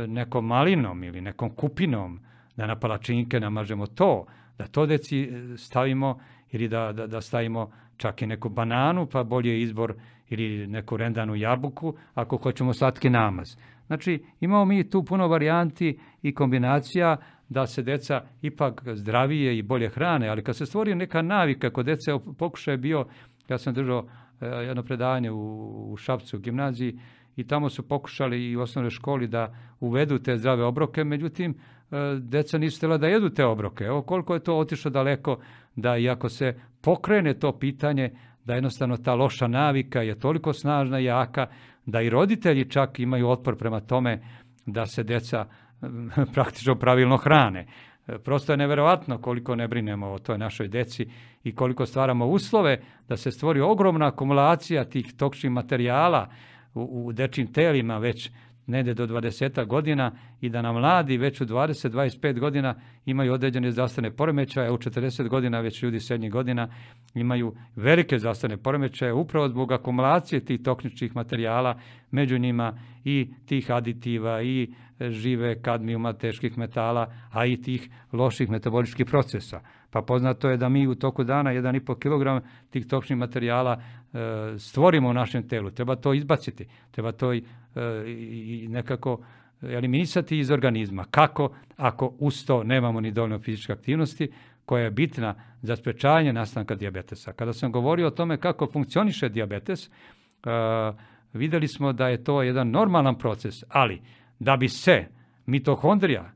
nekom malinom ili nekom kupinom, da na palačinke namažemo to, da to deci stavimo ili da, da, da stavimo čak i neku bananu, pa bolje je izbor ili neku rendanu jabuku ako hoćemo slatki namaz. Znači, imamo mi tu puno varijanti i kombinacija da se deca ipak zdravije i bolje hrane, ali kad se stvori neka navika kod dece, pokušaj je bio, ja sam držao jedno predavanje u, u Šapcu, u gimnaziji, i tamo su pokušali i u osnovnoj školi da uvedu te zdrave obroke, međutim, deca nisu htjela da jedu te obroke. Evo koliko je to otišlo daleko, da iako se pokrene to pitanje, da jednostavno ta loša navika je toliko snažna i jaka, da i roditelji čak imaju otpor prema tome da se deca praktično pravilno hrane. Prosto je neverovatno koliko ne brinemo o toj našoj deci i koliko stvaramo uslove da se stvori ogromna akumulacija tih toksičnih materijala u, u dečjim telima već negde do dvadeset godina i da nam mladi već u dvadeset do dvadeset pet godina imaju određene zdravstvene poremećaje, u četrdeset godina već ljudi srednjih godina imaju velike zdravstvene poremećaje upravo zbog akumulacije tih toksičnih materijala, među njima i tih aditiva i žive kadmijuma, teških metala, a i tih loših metaboličkih procesa. Pa poznato je da mi u toku dana jedan i po kilogram tih toksičnih materijala e, stvorimo u našem telu. Treba to izbaciti, treba to i, e, i nekako eliminisati iz organizma. Kako? Ako uz to nemamo ni dovoljno fizičke aktivnosti, koja je bitna za sprečavanje nastanka dijabetesa. Kada sam govorio o tome kako funkcioniše dijabetes, e, videli smo da je to jedan normalan proces, ali da bi se mitohondrija,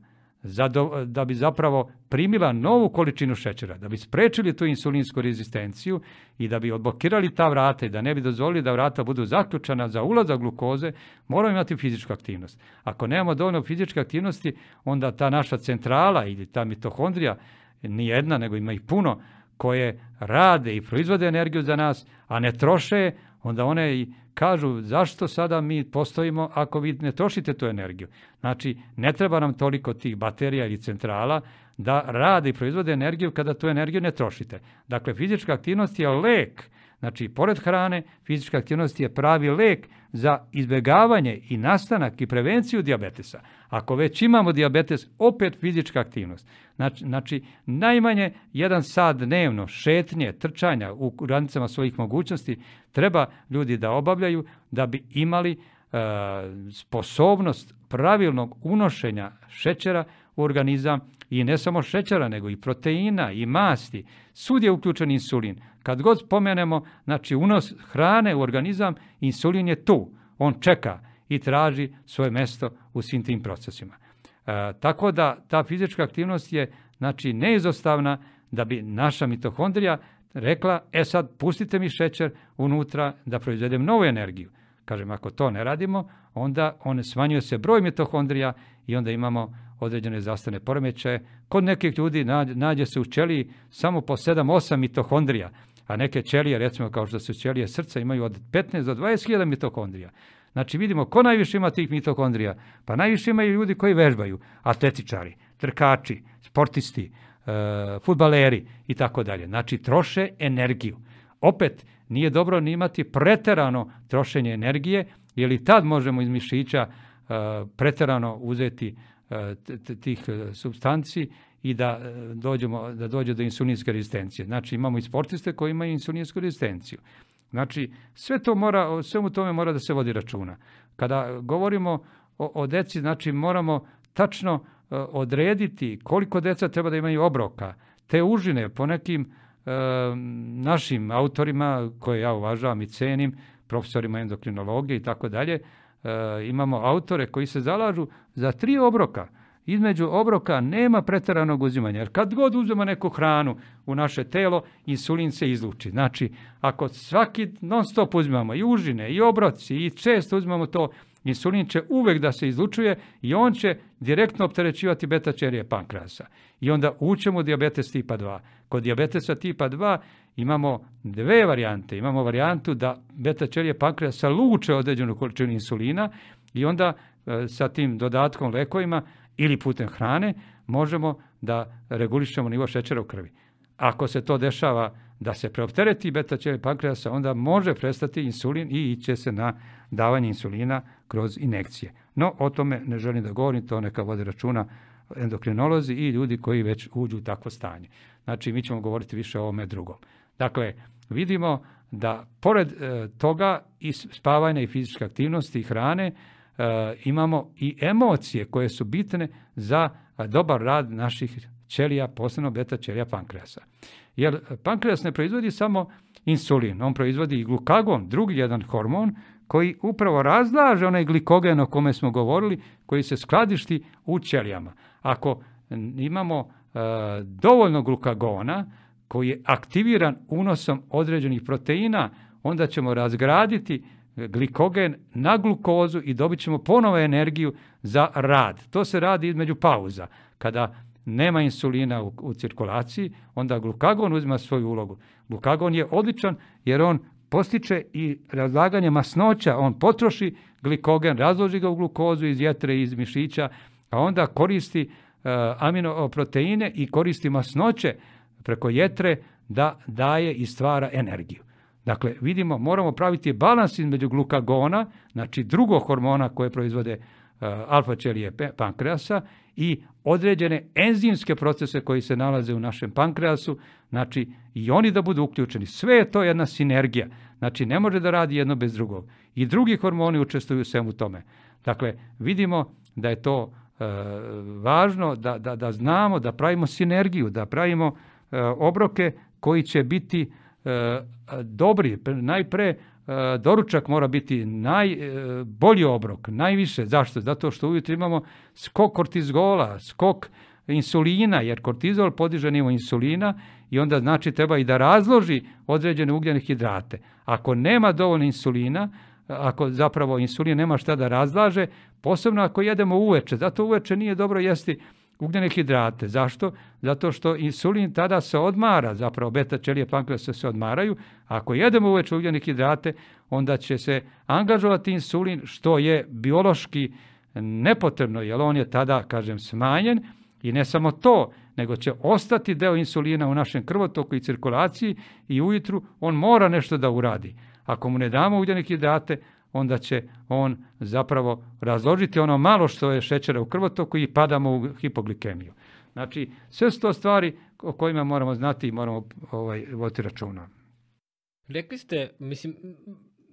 da bi zapravo primila novu količinu šećera, da bi sprečili tu insulinsku rezistenciju i da bi odblokirali ta vrata i da ne bi dozvolili da vrata budu zaključana za ulazak glukoze, moramo imati fizičku aktivnost. Ako nemamo dovoljno fizičke aktivnosti, onda ta naša centrala ili ta mitohondrija, ni jedna, nego ima ih puno, koje rade i proizvode energiju za nas, a ne troše, onda one i kažu zašto sada mi postojimo ako vi ne trošite tu energiju. Znači, ne treba nam toliko tih baterija ili centrala da rade i proizvode energiju kada tu energiju ne trošite. Dakle, fizička aktivnost je lek. Znači, pored hrane, fizička aktivnost je pravi lek za izbjegavanje i nastanak i prevenciju dijabetesa. Ako već imamo dijabetes, opet fizička aktivnost. Znači, znači najmanje jedan sat dnevno šetnje, trčanja u granicama svojih mogućnosti treba ljudi da obavljaju da bi imali e, sposobnost pravilnog unošenja šećera u organizam i ne samo šećera, nego i proteina i masti. Svud je uključen insulin. Kad god spomenemo, znači unos hrane u organizam, insulin je tu. On čeka i traži svoje mesto u svim tim procesima. E, tako da ta fizička aktivnost je znači neizostavna da bi naša mitohondrija rekla, e sad pustite mi šećer unutra da proizvedem novu energiju. Kažem, ako to ne radimo, onda on smanjuje se broj mitohondrija i onda imamo određene zdravstvene poremećaje. Kod nekih ljudi nađe se u ćeliji samo po sedam osam mitohondrija, a neke ćelije, recimo kao što su ćelije srca, imaju od petnaest do dvadeset hiljada mitohondrija. Znači vidimo ko najviše ima tih mitohondrija. Pa najviše imaju ljudi koji vežbaju, atletičari, trkači, sportisti, e, fudbaleri i tako dalje. Znači troše energiju. Opet nije dobro ni imati preterano trošenje energije, jer i tad možemo iz mišića e, preterano uzeti e, tih supstanci i da dođemo da dođe do insulinske rezistencije. Znači imamo i sportiste koji imaju insulinsku rezistenciju. Znači, sve to mora, o svemu tome mora da se vodi računa. Kada govorimo o, o deci, znači moramo tačno uh, odrediti koliko deca treba da imaju obroka. Te užine po nekim uh, našim autorima, koje ja uvažavam i cenim, profesorima endokrinologije i tako dalje, imamo autore koji se zalažu za tri obroka. Između obroka nema preteranog uzimanja, jer kad god uzmemo neku hranu u naše telo, insulin se izluči. Znači, ako svaki non stop uzimamo i užine, i obroci, i često uzimamo to, insulin će uvek da se izlučuje i on će direktno opterećivati beta ćelije pankreasa. I onda učemo dijabetes tipa dva. Kod dijabetesa tipa dva imamo dve varijante. Imamo varijantu da beta ćelije pankreasa luče određenu količinu insulina i onda e, sa tim dodatkom lekovima ili putem hrane možemo da regulišemo nivo šećera u krvi. Ako se to dešava da se preoptereti beta ćelije pankreasa, onda može prestati insulin i iće se na davanje insulina kroz injekcije. No, o tome ne želim da govorim, to neka vode računa endokrinolozi i ljudi koji već uđu u takvo stanje. Znači, mi ćemo govoriti više o ovome drugom. Dakle, vidimo da pored e, toga i spavanja i fizičke aktivnosti i hrane, e, imamo i emocije koje su bitne za dobar rad naših ćelija, posebno beta ćelija pankreasa. Jer pankreas ne proizvodi samo insulin, on proizvodi i glukagon, drugi jedan hormon koji upravo razlaže onaj glikogen o kome smo govorili, koji se skladišti u ćelijama. Ako imamo e, dovoljno glukagona koji je aktiviran unosom određenih proteina, onda ćemo razgraditi glikogen na glukozu i dobit ćemo ponovo energiju za rad. To se radi između pauza. Kada nema insulina u, u cirkulaciji, onda glukagon uzima svoju ulogu. Glukagon je odličan jer on postiče i razlaganje masnoća, on potroši glikogen, razloži ga u glukozu iz jetre i iz mišića, a onda koristi uh, aminoproteine i koristi masnoće preko jetre da daje i stvara energiju. Dakle, vidimo, moramo praviti balans između glukagona, znači drugog hormona koje proizvode uh, alfa ćelije pankreasa i određene enzimske procese koji se nalaze u našem pankreasu, znači i oni da budu uključeni. Sve je to jedna sinergija, znači ne može da radi jedno bez drugog. I drugi hormoni učestvuju u svemu tome. Dakle, vidimo da je to e, važno da, da, da znamo, da pravimo sinergiju, da pravimo e, obroke koji će biti e, dobri. Najpre e, doručak mora biti najbolji e, obrok, najviše. Zašto? Zato što ujutro imamo skok kortizola, skok insulina, jer kortizol podiže nivo insulina i onda znači treba i da razloži određene ugljene hidrate. Ako nema dovoljno insulina, ako zapravo insulin nema šta da razlaže, posebno ako jedemo uveče, zato uveče nije dobro jesti ugljene hidrate. Zašto? Zato što insulin tada se odmara, zapravo beta ćelije pankreasa se odmaraju. Ako jedemo uveče ugljene hidrate, onda će se angažovati insulin, što je biološki nepotrebno, jer on je tada, kažem, smanjen. I ne samo to, nego će ostati deo insulina u našem krvotoku i cirkulaciji i ujutru on mora nešto da uradi. Ako mu ne damo ugljene hidrate, onda će on zapravo razložiti ono malo što je šećera u krvotoku i padamo u hipoglikemiju. Znači, sve su to stvari o kojima moramo znati i moramo ovaj, voditi računa. Rekli ste, mislim,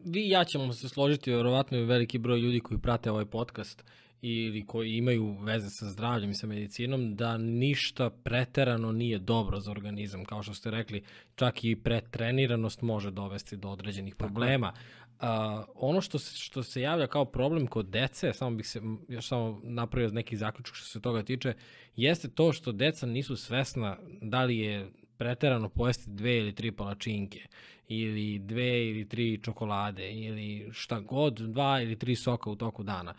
vi i ja ćemo se složiti, vjerovatno je veliki broj ljudi koji prate ovaj podcast ili koji imaju veze sa zdravljem i sa medicinom, da ništa preterano nije dobro za organizam. Kao što ste rekli, čak i pretreniranost može dovesti do određenih problema. Uh, ono što se, što se javlja kao problem kod dece, samo bih se još samo napravio neki zaključak što se toga tiče, jeste to što deca nisu svesna da li je preterano pojesti dve ili tri palačinke ili dve ili tri čokolade ili šta god, dva ili tri soka u toku dana.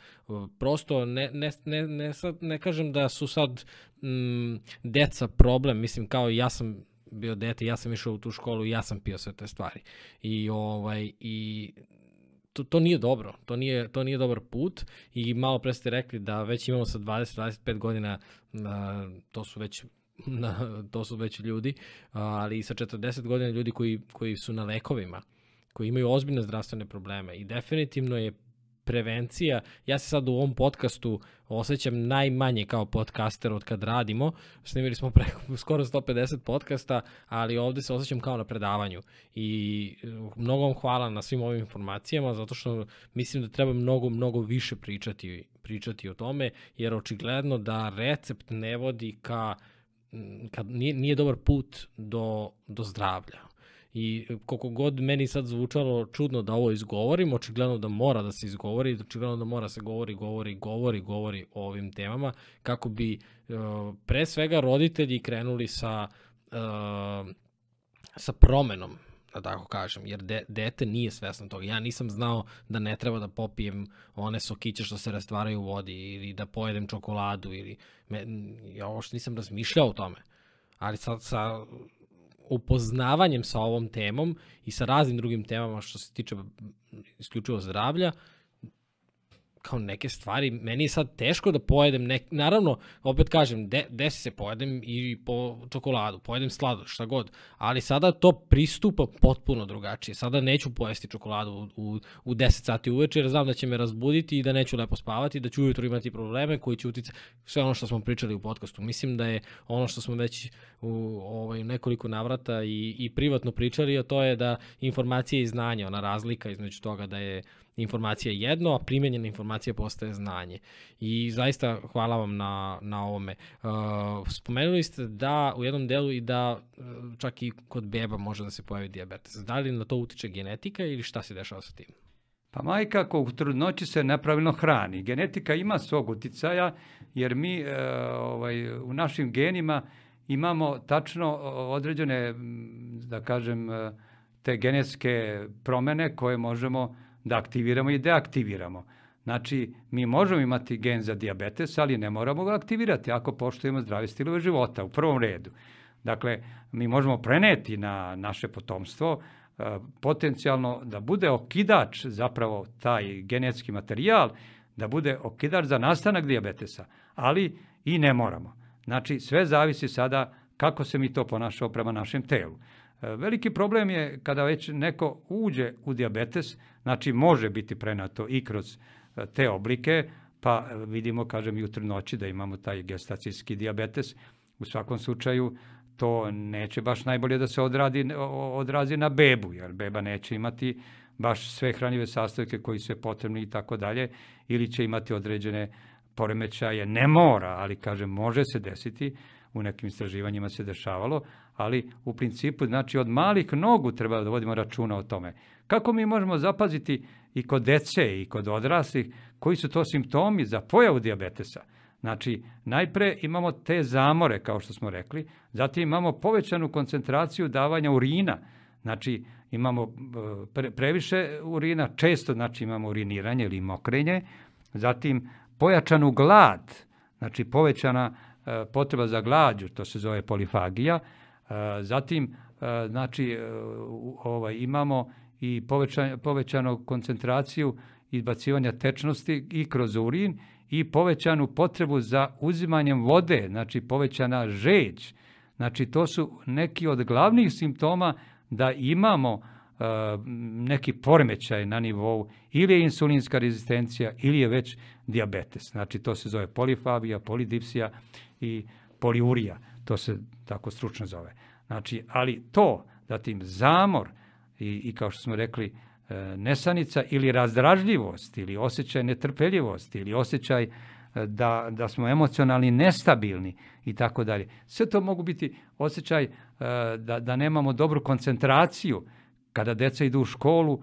Prosto ne, ne, ne, ne, sad, ne kažem da su sad mm, deca problem, mislim kao ja sam bio dete, ja sam išao u tu školu i ja sam pio sve te stvari. I ovaj i to, to nije dobro, to nije, to nije dobar put i malo pre ste rekli da već imamo sa dvadeset do dvadeset pet godina, a, to su već na, to su već ljudi, ali i sa četrdeset godina ljudi koji, koji su na lekovima, koji imaju ozbiljne zdravstvene probleme i definitivno je prevencija, ja se sad u ovom podcastu osjećam najmanje kao podcaster od kad radimo, snimili smo preko skoro sto pedeset podcasta, ali ovde se osjećam kao na predavanju i mnogo vam hvala na svim ovim informacijama, zato što mislim da treba mnogo, mnogo više pričati, pričati o tome, jer očigledno da recept ne vodi ka, kad nije, nije dobar put do, do zdravlja. I koliko god meni sad zvučalo čudno da ovo izgovorim, očigledno da mora da se izgovori, očigledno da mora se govori, govori, govori, govori o ovim temama, kako bi uh, pre svega roditelji krenuli sa, uh, sa promenom, da tako kažem, jer de, dete nije svesno toga. Ja nisam znao da ne treba da popijem one sokiće što se rastvaraju u vodi ili da pojedem čokoladu ili me, ja ovo što nisam razmišljao o tome. Ali sad sa upoznavanjem sa ovom temom i sa raznim drugim temama što se tiče isključivo zdravlja, kao neke stvari, meni je sad teško da pojedem, nek... naravno, opet kažem, de, desi se pojedem i po čokoladu, pojedem sladoš, šta god, ali sada to pristupa potpuno drugačije. Sada neću pojesti čokoladu u, u, u deset sati uveče, jer znam da će me razbuditi i da neću lepo spavati, da ću ujutro imati probleme koji će uticati sve ono što smo pričali u podcastu. Mislim da je ono što smo već u ovaj, nekoliko navrata i, i privatno pričali, a to je da informacija i znanje, ona razlika između toga da je informacija jedno, a primjenjena informacija postaje znanje. I zaista hvala vam na, na ovome. Uh, spomenuli ste da u jednom delu i da uh, čak i kod beba može da se pojavi dijabetes. Da li na to utiče genetika ili šta se dešava sa tim? Pa majka ako u trudnoći se nepravilno hrani. Genetika ima svog uticaja jer mi uh, ovaj, u našim genima imamo tačno određene, da kažem, te genetske promene koje možemo da aktiviramo i deaktiviramo. Znači, mi možemo imati gen za dijabetes, ali ne moramo ga aktivirati ako poštujemo zdrave stilove života u prvom redu. Dakle, mi možemo preneti na naše potomstvo potencijalno da bude okidač, zapravo taj genetski materijal, da bude okidač za nastanak dijabetesa, ali i ne moramo. Znači, sve zavisi sada kako se mi to ponašamo prema našem telu. Veliki problem je kada već neko uđe u dijabetes, znači može biti prenato i kroz te oblike, pa vidimo, kažem, i u trudnoći da imamo taj gestacijski dijabetes. U svakom slučaju to neće baš najbolje da se odradi, odrazi na bebu, jer beba neće imati baš sve hranjive sastojke koji su potrebni i tako dalje, ili će imati određene poremećaje. Ne mora, ali kažem, može se desiti, u nekim istraživanjima se dešavalo, ali u principu, znači, od malih nogu treba da vodimo računa o tome. Kako mi možemo zapaziti i kod dece i kod odraslih, koji su to simptomi za pojavu dijabetesa? Znači, najpre imamo te zamore, kao što smo rekli, zatim imamo povećanu koncentraciju davanja urina, znači imamo pre, previše urina, često znači imamo uriniranje ili mokrenje, zatim pojačanu glad, znači povećana e, potreba za glađu, to se zove polifagija, e, zatim e, znači e, ovaj, imamo i povećan, povećanu koncentraciju izbacivanja tečnosti i kroz urin i povećanu potrebu za uzimanjem vode, znači povećana žeđ. Znači to su neki od glavnih simptoma da imamo uh, neki poremećaj na nivou ili je insulinska rezistencija ili je već dijabetes. Znači to se zove polifagija, polidipsija i poliurija. To se tako stručno zove. Znači, ali to, zatim zamor i, i kao što smo rekli, nesanica ili razdražljivost ili osjećaj netrpeljivosti ili osjećaj da, da smo emocionalni nestabilni i tako dalje. Sve to mogu biti osjećaj da, da nemamo dobru koncentraciju. Kada deca idu u školu,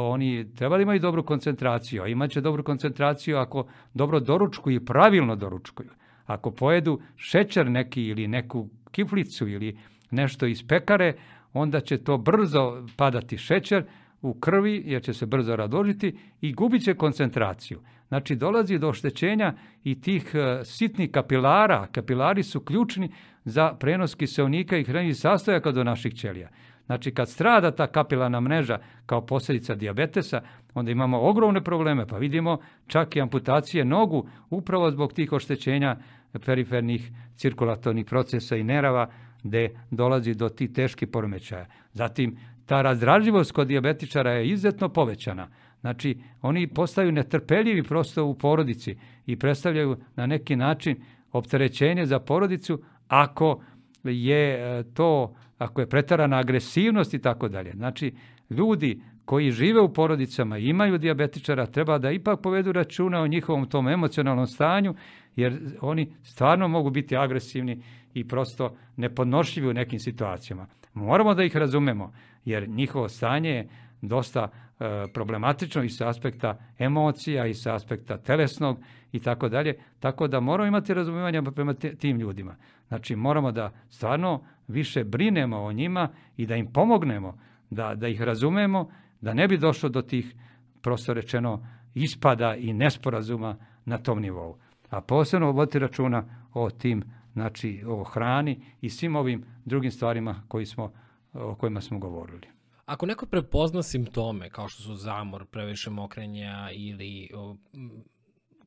oni treba da imaju dobru koncentraciju, a imat će dobru koncentraciju ako dobro doručkuju i pravilno doručkuju. Ako pojedu šećer neki ili neku kiflicu ili nešto iz pekare, onda će to brzo padati šećer u krvi, jer će se brzo razložiti i gubit će koncentraciju. Znači, dolazi do oštećenja i tih sitnih kapilara. Kapilari su ključni za prenos kiseonika i hranjivih sastojaka do naših ćelija. Znači, kad strada ta kapilarna mreža kao posljedica dijabetesa, onda imamo ogromne probleme, pa vidimo čak i amputacije nogu upravo zbog tih oštećenja perifernih cirkulatornih procesa i nerava, gde dolazi do tih teških poremećaja. Zatim, ta razdražljivost kod dijabetičara je izuzetno povećana. Znači, oni postaju netrpeljivi prosto u porodici i predstavljaju na neki način opterećenje za porodicu ako je to, ako je pretarana agresivnost i tako dalje. Znači, ljudi koji žive u porodicama i imaju dijabetičara treba da ipak povedu računa o njihovom tom emocionalnom stanju, jer oni stvarno mogu biti agresivni i prosto nepodnošljivi u nekim situacijama. Moramo da ih razumemo, jer njihovo stanje je dosta e, problematično i sa aspekta emocija i sa aspekta telesnog i tako dalje, tako da moramo imati razumijevanja prema te, tim ljudima. Znači, moramo da stvarno više brinemo o njima i da im pomognemo, da, da ih razumemo, da ne bi došlo do tih, prosto rečeno, ispada i nesporazuma na tom nivou. A posebno voditi računa o tim, znači o hrani i svim ovim drugim stvarima koji smo, o kojima smo govorili. Ako neko prepozna simptome, kao što su zamor, previše mokrenja ili o,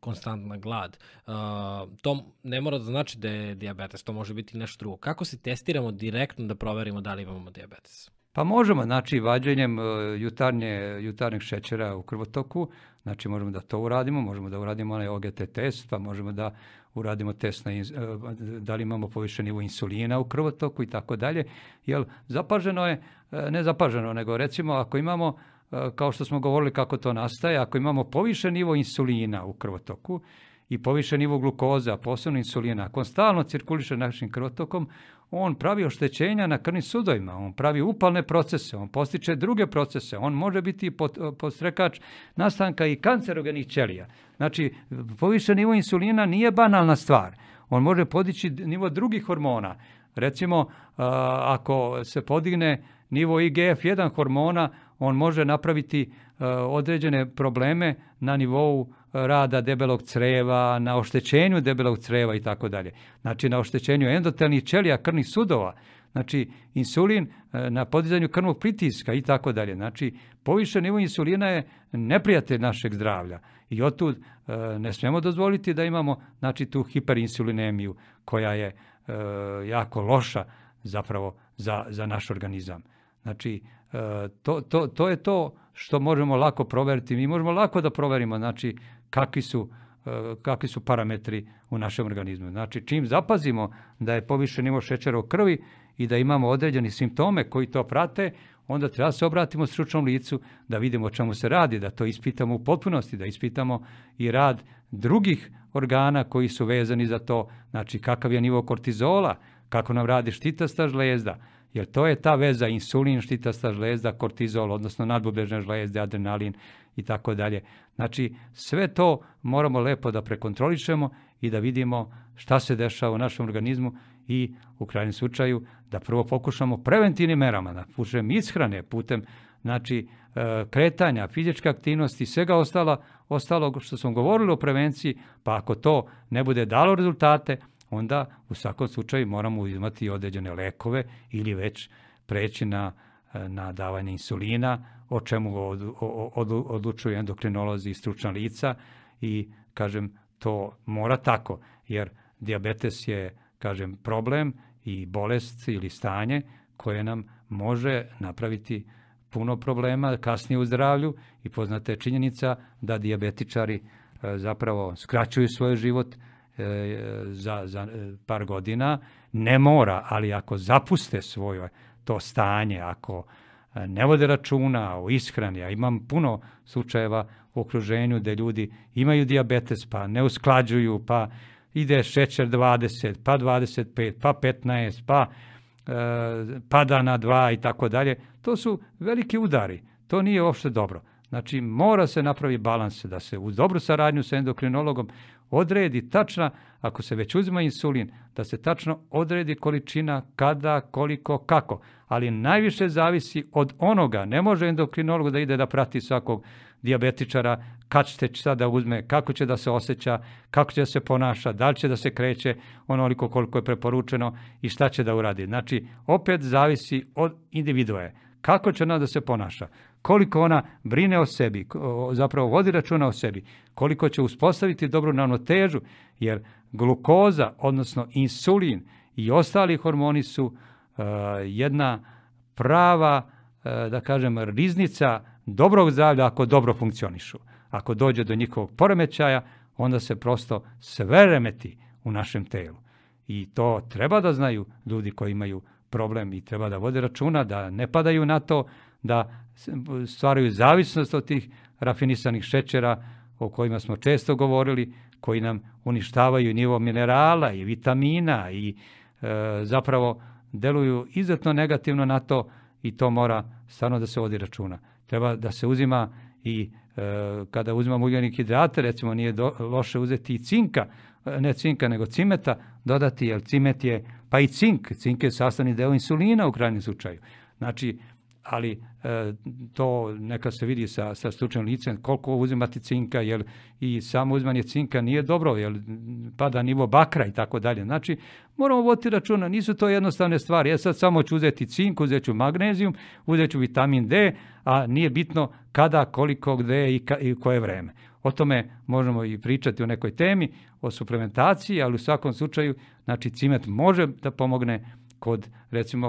konstantna glad, uh, to ne mora da znači da je dijabetes, to može biti nešto drugo. Kako se testiramo direktno da proverimo da li imamo dijabetes? Pa možemo, znači, vađenjem uh, jutarnje, jutarnjeg šećera u krvotoku, znači možemo da to uradimo, možemo da uradimo onaj O G T test, pa možemo da uradimo test na uh, da li imamo povišen nivo insulina u krvotoku i tako dalje, jer zapaženo je, uh, ne zapaženo, nego recimo ako imamo, uh, kao što smo govorili kako to nastaje, ako imamo povišen nivo insulina u krvotoku i povišen nivo glukoza, posebno insulina, ako on stalno cirkuliše našim krvotokom, on pravi oštećenja na krvnim sudovima, on pravi upalne procese, on postiče druge procese, on može biti podstrekač nastanka i kancerogenih ćelija. Znači, povišen nivo insulina nije banalna stvar. On može podići nivo drugih hormona. Recimo, ako se podigne nivo I G F jedan hormona, on može napraviti određene probleme na nivou rada debelog creva, na oštećenju debelog creva i tako dalje. Znači, na oštećenju endotelnih ćelija, krvnih sudova, znači insulin na podizanju krvnog pritiska i tako dalje. Znači, povišen nivo insulina je neprijatelj našeg zdravlja i otud ne smijemo dozvoliti da imamo, znači, tu hiperinsulinemiju koja je jako loša zapravo za, za naš organizam. Znači, to, to, to je to što možemo lako proveriti. Mi možemo lako da proverimo, znači, kakvi su, kakvi su parametri u našem organizmu. Znači, čim zapazimo da je povišen nivo šećera u krvi i da imamo određeni simptome koji to prate, onda treba se obratimo stručnom licu da vidimo o čemu se radi, da to ispitamo u potpunosti, da ispitamo i rad drugih organa koji su vezani za to, znači kakav je nivo kortizola, kako nam radi štitasta žlezda, jer to je ta veza insulin, štitasta žlezda, kortizol, odnosno nadbubrežne žlezde, adrenalin i tako dalje. Znači, sve to moramo lepo da prekontrolišemo i da vidimo šta se dešava u našem organizmu i u krajnjem slučaju da prvo pokušamo preventivnim merama, da putem ishrane, putem, znači, kretanja, fizičke aktivnosti, svega ostalo, ostalog što smo govorili o prevenciji, pa ako to ne bude dalo rezultate, onda u svakom slučaju moramo uzimati određene lekove ili već preći na, na davanje insulina, o čemu od, od, odlučuju endokrinolozi i stručna lica i, kažem, to mora tako, jer dijabetes je, kažem, problem i bolest ili stanje koje nam može napraviti puno problema kasnije u zdravlju i poznata je činjenica da dijabetičari zapravo skraćuju svoj život za, za par godina. Ne mora, ali ako zapuste svoje to stanje, ako ne vode računa o ishrani, a imam puno slučajeva u okruženju gde ljudi imaju dijabetes, pa ne usklađuju, pa ide šećer dvadeset, pa dvadeset pet, pa petnaest, pa e, pada na dva i tako dalje. To su veliki udari. To nije uopšte dobro. Znači, mora se napraviti balans, da se uz dobru saradnju sa endokrinologom odredi tačna, ako se već uzima insulin, da se tačno odredi količina, kada, koliko, kako. Ali najviše zavisi od onoga. Ne može endokrinolog da ide da prati svakog dijabetičara, kad će sada uzme, kako će da se osjeća, kako će da se ponaša, da li će da se kreće onoliko koliko je preporučeno i šta će da uradi. Znači, opet zavisi od individue. Kako će ona da se ponaša, koliko ona brine o sebi, zapravo vodi računa o sebi, koliko će uspostaviti dobru ravnotežu, jer glukoza, odnosno insulin i ostali hormoni su uh, jedna prava, uh, da kažem, riznica dobrog zdravlja ako dobro funkcionišu. Ako dođe do njihovog poremećaja, onda se prosto sve remeti u našem telu. I to treba da znaju ljudi koji imaju problem i treba da vode računa, da ne padaju na to, da stvaraju zavisnost od tih rafinisanih šećera o kojima smo često govorili, koji nam uništavaju nivo minerala i vitamina i e, zapravo deluju izuzetno negativno na to i to mora stvarno da se vodi računa. Treba da se uzima i e, kada uzimamo ugljenik hidrate, recimo nije do, loše uzeti i cinka, ne cinka nego cimeta, dodati, jer cimet je, pa i cink, cink je sastavni deo insulina u krajnjem slučaju. Znači, ali e, to neka se vidi sa, sa stručnim licem koliko uzimati cinka, jer i samo uzimanje cinka nije dobro, jer pada nivo bakra i tako dalje. Znači, moramo voditi računa, nisu to jednostavne stvari. Ja sad samo ću uzeti cink, uzet ću magnezijum, uzet ću vitamin D, a nije bitno kada, koliko, gde i, ka, i koje vreme. O tome možemo i pričati u nekoj temi, o suplementaciji, ali u svakom slučaju, znači, cimet može da pomogne kod, recimo,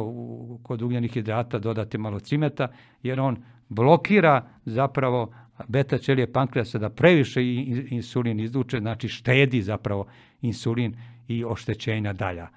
kod ugljenih hidrata dodati malo cimeta, jer on blokira zapravo beta ćelije pankreasa da previše insulin izluče, znači štedi zapravo insulin i oštećenja dalja.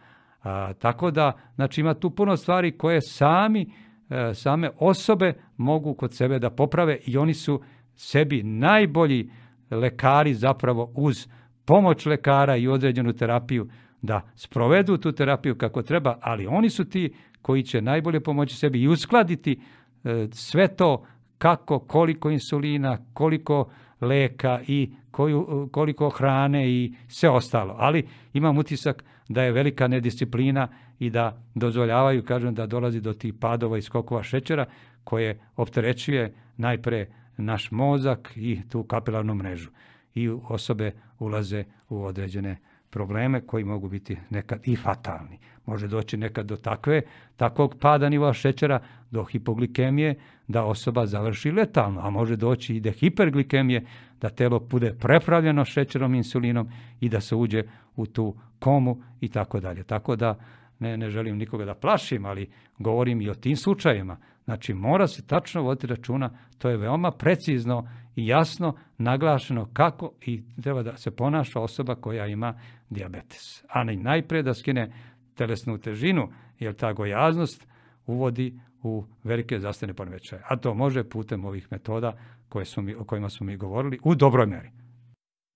A, tako da, znači, ima tu puno stvari koje sami, e, same osobe mogu kod sebe da poprave i oni su sebi najbolji lekari zapravo uz pomoć lekara i određenu terapiju da sprovedu tu terapiju kako treba, ali oni su ti koji će najbolje pomoći sebi i uskladiti e, sve to kako, koliko insulina, koliko leka i koju, koliko hrane i sve ostalo. Ali imam utisak da je velika nedisciplina i da dozvoljavaju, kažem, da dolazi do tih padova i skokova šećera koje opterećuje najpre naš mozak i tu kapilarnu mrežu. I osobe ulaze u određene probleme koji mogu biti nekad i fatalni. Može doći nekad do takve, takvog pada nivoa šećera, do hipoglikemije, da osoba završi letalno, a može doći i do hiperglikemije, da telo bude prepravljeno šećerom, insulinom i da se uđe u tu komu i tako dalje. Tako da ne, ne želim nikoga da plašim, ali govorim i o tim slučajevima. Znači, mora se tačno voditi računa, to je veoma precizno i jasno naglašeno kako i treba da se ponaša osoba koja ima dijabetes. A najprije da skine telesnu težinu, jer ta gojaznost uvodi u velike zdravstvene poremećaje. A to može putem ovih metoda koje su mi, o kojima smo mi govorili u dobroj meri.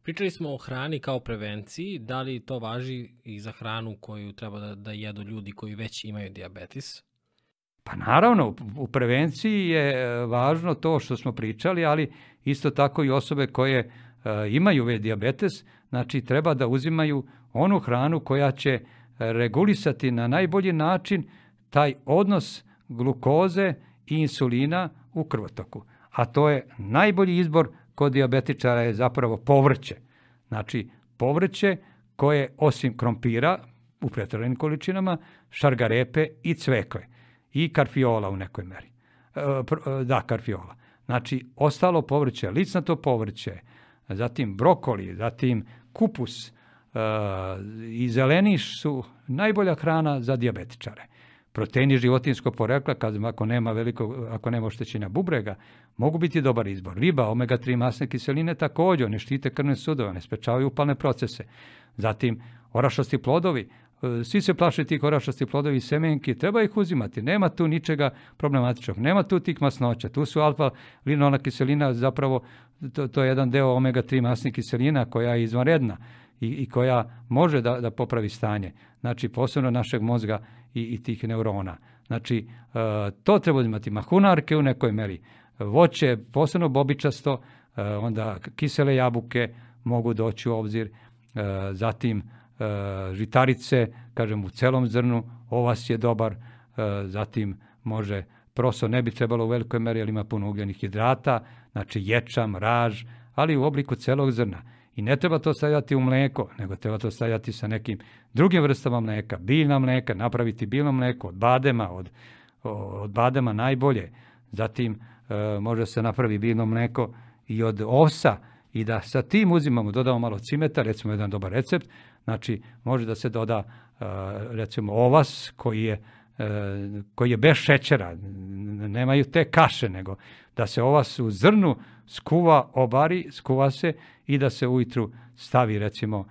Pričali smo o hrani kao prevenciji. Da li to važi i za hranu koju treba da, da jedu ljudi koji već imaju dijabetes? Pa naravno, u prevenciji je važno to što smo pričali, ali isto tako i osobe koje e, imaju već dijabetes, znači treba da uzimaju onu hranu koja će regulisati na najbolji način taj odnos glukoze i insulina u krvotoku. A to je najbolji izbor kod dijabetičara je zapravo povrće. Znači, povrće koje osim krompira u pretjeranim količinama, šargarepe i cvekve. I karfiola u nekoj meri. E, da, karfiola. Znači, ostalo povrće, licnato povrće, zatim brokoli, zatim kupus e, i zeleniš su najbolja hrana za dijabetičare. Proteini životinjskog porekla, kad, ako nema veliko, ako nema oštećenja bubrega, mogu biti dobar izbor. Riba, omega tri masne kiseline također, ne štite krvne sudove, ne sprečavaju upalne procese. Zatim, orašasti plodovi, svi se plaše tih orašastih plodovi i semenki, treba ih uzimati, nema tu ničega problematičnog, nema tu tih masnoća, tu su alfa-linolna kiselina, zapravo to, to je jedan deo omega tri masnih kiselina koja je izvanredna i, i koja može da, da popravi stanje, znači posebno našeg mozga i, i tih neurona. Znači, to treba uzimati, mahunarke u nekoj meri, voće, posebno bobičasto, onda kisele jabuke mogu doći u obzir zatim žitarice, kažem u celom zrnu, ovas je dobar, zatim može, proso ne bi trebalo u velikoj meri, jer ima puno ugljenih hidrata, znači ječam, raž, ali u obliku celog zrna. I ne treba to stavljati u mleko, nego treba to stavljati sa nekim drugim vrstama mleka, biljna mleka, napraviti biljno mleko od badema, od, od badema najbolje. Zatim e, može se napravi biljno mleko i od ovsa i da sa tim uzimamo, dodamo malo cimeta, recimo jedan dobar recept, znači može da se doda e, recimo ovas koji je, e, koji je bez šećera, nemaju te kaše, nego da se ovas u zrnu skuva, obari, skuva se i da se ujutru stavi recimo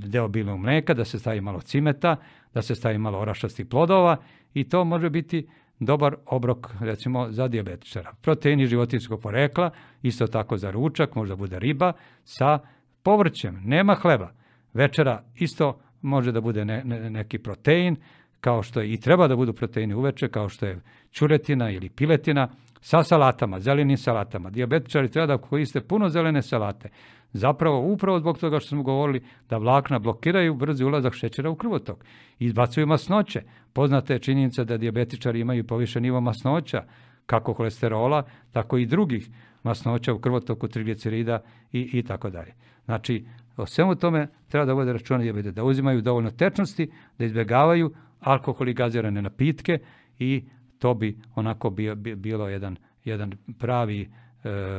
deo biljnog mleka, da se stavi malo cimeta, da se stavi malo orašastih plodova i to može biti dobar obrok recimo za dijabetičara. Proteini životinjskog porekla, isto tako za ručak, možda bude riba sa povrćem, nema hleba. Večera isto može da bude ne, ne, neki protein, kao što je i treba da budu proteini uveče, kao što je ćuretina ili piletina, sa salatama, zelenim salatama. Dijabetičari treba da koriste puno zelene salate. Zapravo, upravo zbog toga što smo govorili da vlakna blokiraju brzi ulazak šećera u krvotok. Izbacuju masnoće. Poznata je činjenica da dijabetičari imaju povišen nivo masnoća, kako holesterola, tako i drugih masnoća u krvotoku, triglicerida i, i tako dalje. Znači, o svemu tome treba da vode računa da uzimaju dovoljno tečnosti, da izbjegavaju alkohol i gazirane napitke i to bi onako bio, bilo jedan, jedan pravi e,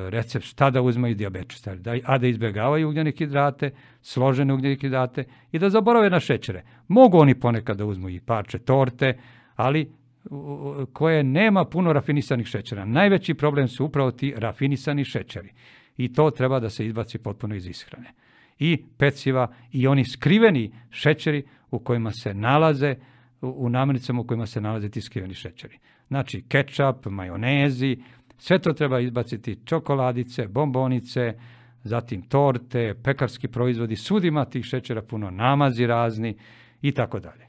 recept šta da uzmaju dijabetičari, da, a da izbjegavaju ugljene hidrate, složene ugljene hidrate i da zaborave na šećere. Mogu oni ponekad da uzmu i parče torte, ali u, koje nema puno rafinisanih šećera. Najveći problem su upravo ti rafinisani šećeri i to treba da se izbaci potpuno iz ishrane. I peciva i oni skriveni šećeri u kojima se nalaze, u namirnicama u kojima se nalaze ti skriveni šećeri. Znači, kečap, majonezi, sve to treba izbaciti, čokoladice, bombonice, zatim torte, pekarski proizvodi, svud ima tih šećera puno, namazi razni i tako dalje.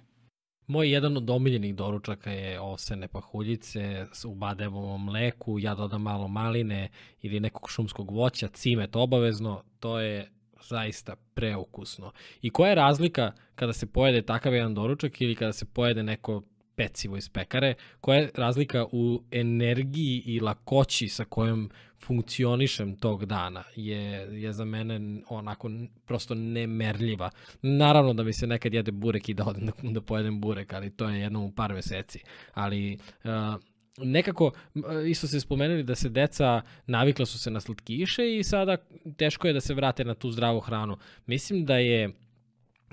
Moj jedan od omiljenih doručaka je ovsene pahuljice u badevom mleku, ja dodam malo maline ili nekog šumskog voća, cimet obavezno, to je zaista preukusno. I koja je razlika kada se pojede takav jedan doručak ili kada se pojede neko pecivo iz pekare, koja je razlika u energiji i lakoći sa kojom funkcionišem tog dana je, je za mene onako prosto nemerljiva. Naravno da mi se nekad jede burek i da odem da, da pojedem burek, ali to je jednom u par meseci. Ali uh, nekako, isto ste spomenuli da se deca navikla su se na slatkiše i sada teško je da se vrate na tu zdravu hranu. Mislim da je,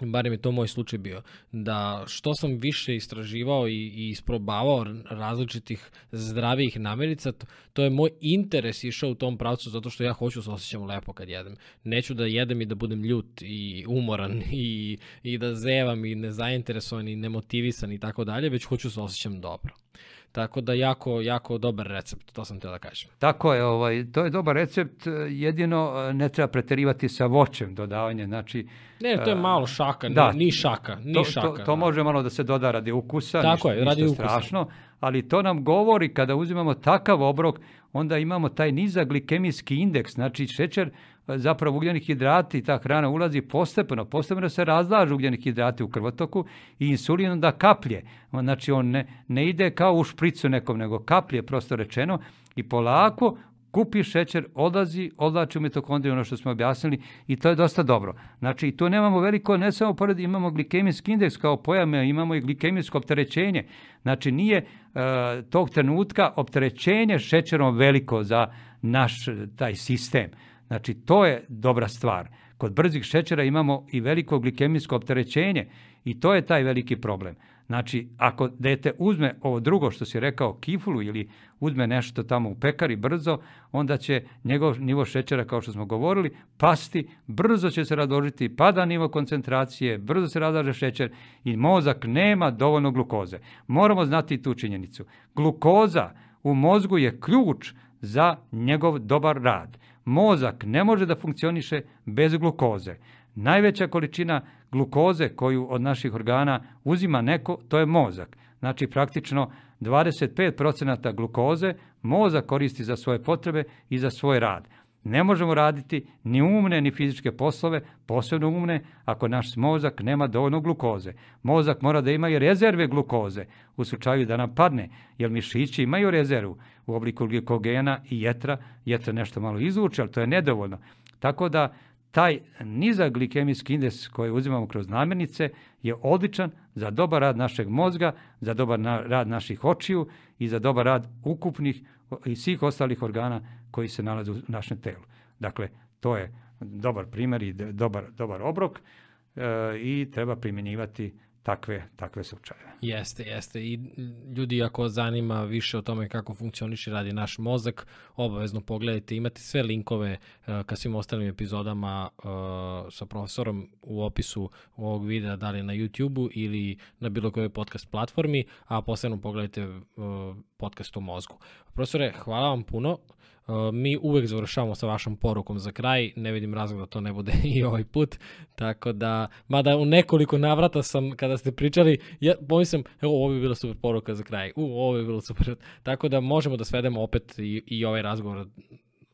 barem je to moj slučaj bio, da što sam više istraživao i, i isprobavao različitih zdravijih namirnica, to, to je moj interes išao u tom pravcu zato što ja hoću se osjećam lepo kad jedem. Neću da jedem i da budem ljut i umoran i, i da zevam i nezainteresovan i nemotivisan i tako dalje, već hoću se osjećam dobro. Tako da jako, jako dobar recept, to sam teo da kažem. Tako je, ovaj, to je dobar recept, jedino ne treba preterivati sa voćem dodavanje, znači... Ne, to je malo šaka, da, ni šaka, ni to, šaka. To, to može malo da se doda radi ukusa, tako ništa, je, radi ništa strašno, ali to nam govori kada uzimamo takav obrok, onda imamo taj nizak glikemijski indeks, znači šećer, zapravo ugljeni hidrati i ta hrana ulazi postepeno, postepeno se razlažu ugljeni hidrati u krvotoku i insulin onda kaplje. Znači on ne, ne ide kao u špricu nekom, nego kaplje, prosto rečeno, i polako kupi šećer, odlazi, odlači u mitokondriju, ono što smo objasnili, i to je dosta dobro. Znači, tu nemamo veliko, ne samo pored, imamo glikemijski indeks kao pojam, imamo i glikemijsko opterećenje. Znači, nije e, tog trenutka opterećenje šećerom veliko za naš taj sistem. Znači, to je dobra stvar. Kod brzih šećera imamo i veliko glikemijsko opterećenje i to je taj veliki problem. Znači, ako dete uzme ovo drugo što si rekao, kifulu, ili uzme nešto tamo u pekari brzo, onda će njegov nivo šećera, kao što smo govorili, pasti, brzo će se razložiti, pada nivo koncentracije, brzo se razlaže šećer i mozak nema dovoljno glukoze. Moramo znati tu činjenicu. Glukoza u mozgu je ključ za njegov dobar rad. Mozak ne može da funkcioniše bez glukoze. Najveća količina glukoze koju od naših organa uzima neko, to je mozak. Znači praktično dvadeset pet procenata glukoze mozak koristi za svoje potrebe i za svoj rad. Ne možemo raditi ni umne ni fizičke poslove, posebno umne, ako naš mozak nema dovoljno glukoze. Mozak mora da ima i rezerve glukoze u slučaju da nam padne, jer mišići imaju rezervu u obliku glikogena i jetra. Jetra nešto malo izvuče, ali to je nedovoljno. Tako da taj nizak glikemijski indeks koji uzimamo kroz namirnice je odličan za dobar rad našeg mozga, za dobar rad naših očiju i za dobar rad ukupnih i svih ostalih organa koji se nalaze u našem telu. Dakle, to je dobar primjer i dobar, dobar obrok e, i treba primjenjivati takve, takve slučajeve. Jeste, jeste. I ljudi, ako zanima više o tome kako funkcioniše radi naš mozak, obavezno pogledajte. Imate sve linkove uh, ka svim ostalim epizodama uh, sa profesorom u opisu ovog videa, da li na YouTube-u ili na bilo kojoj podcast platformi, a posebno pogledajte uh, podcast o mozgu. Profesore, hvala vam puno. Uh, mi uvek završavamo sa vašom porukom za kraj, ne vidim razlog da to ne bude i ovaj put, tako da, mada u nekoliko navrata sam, kada ste pričali, ja pomislim, evo, ovo bi bila super poruka za kraj, u, ovo bi bilo super, tako da možemo da svedemo opet i, i ovaj razgovor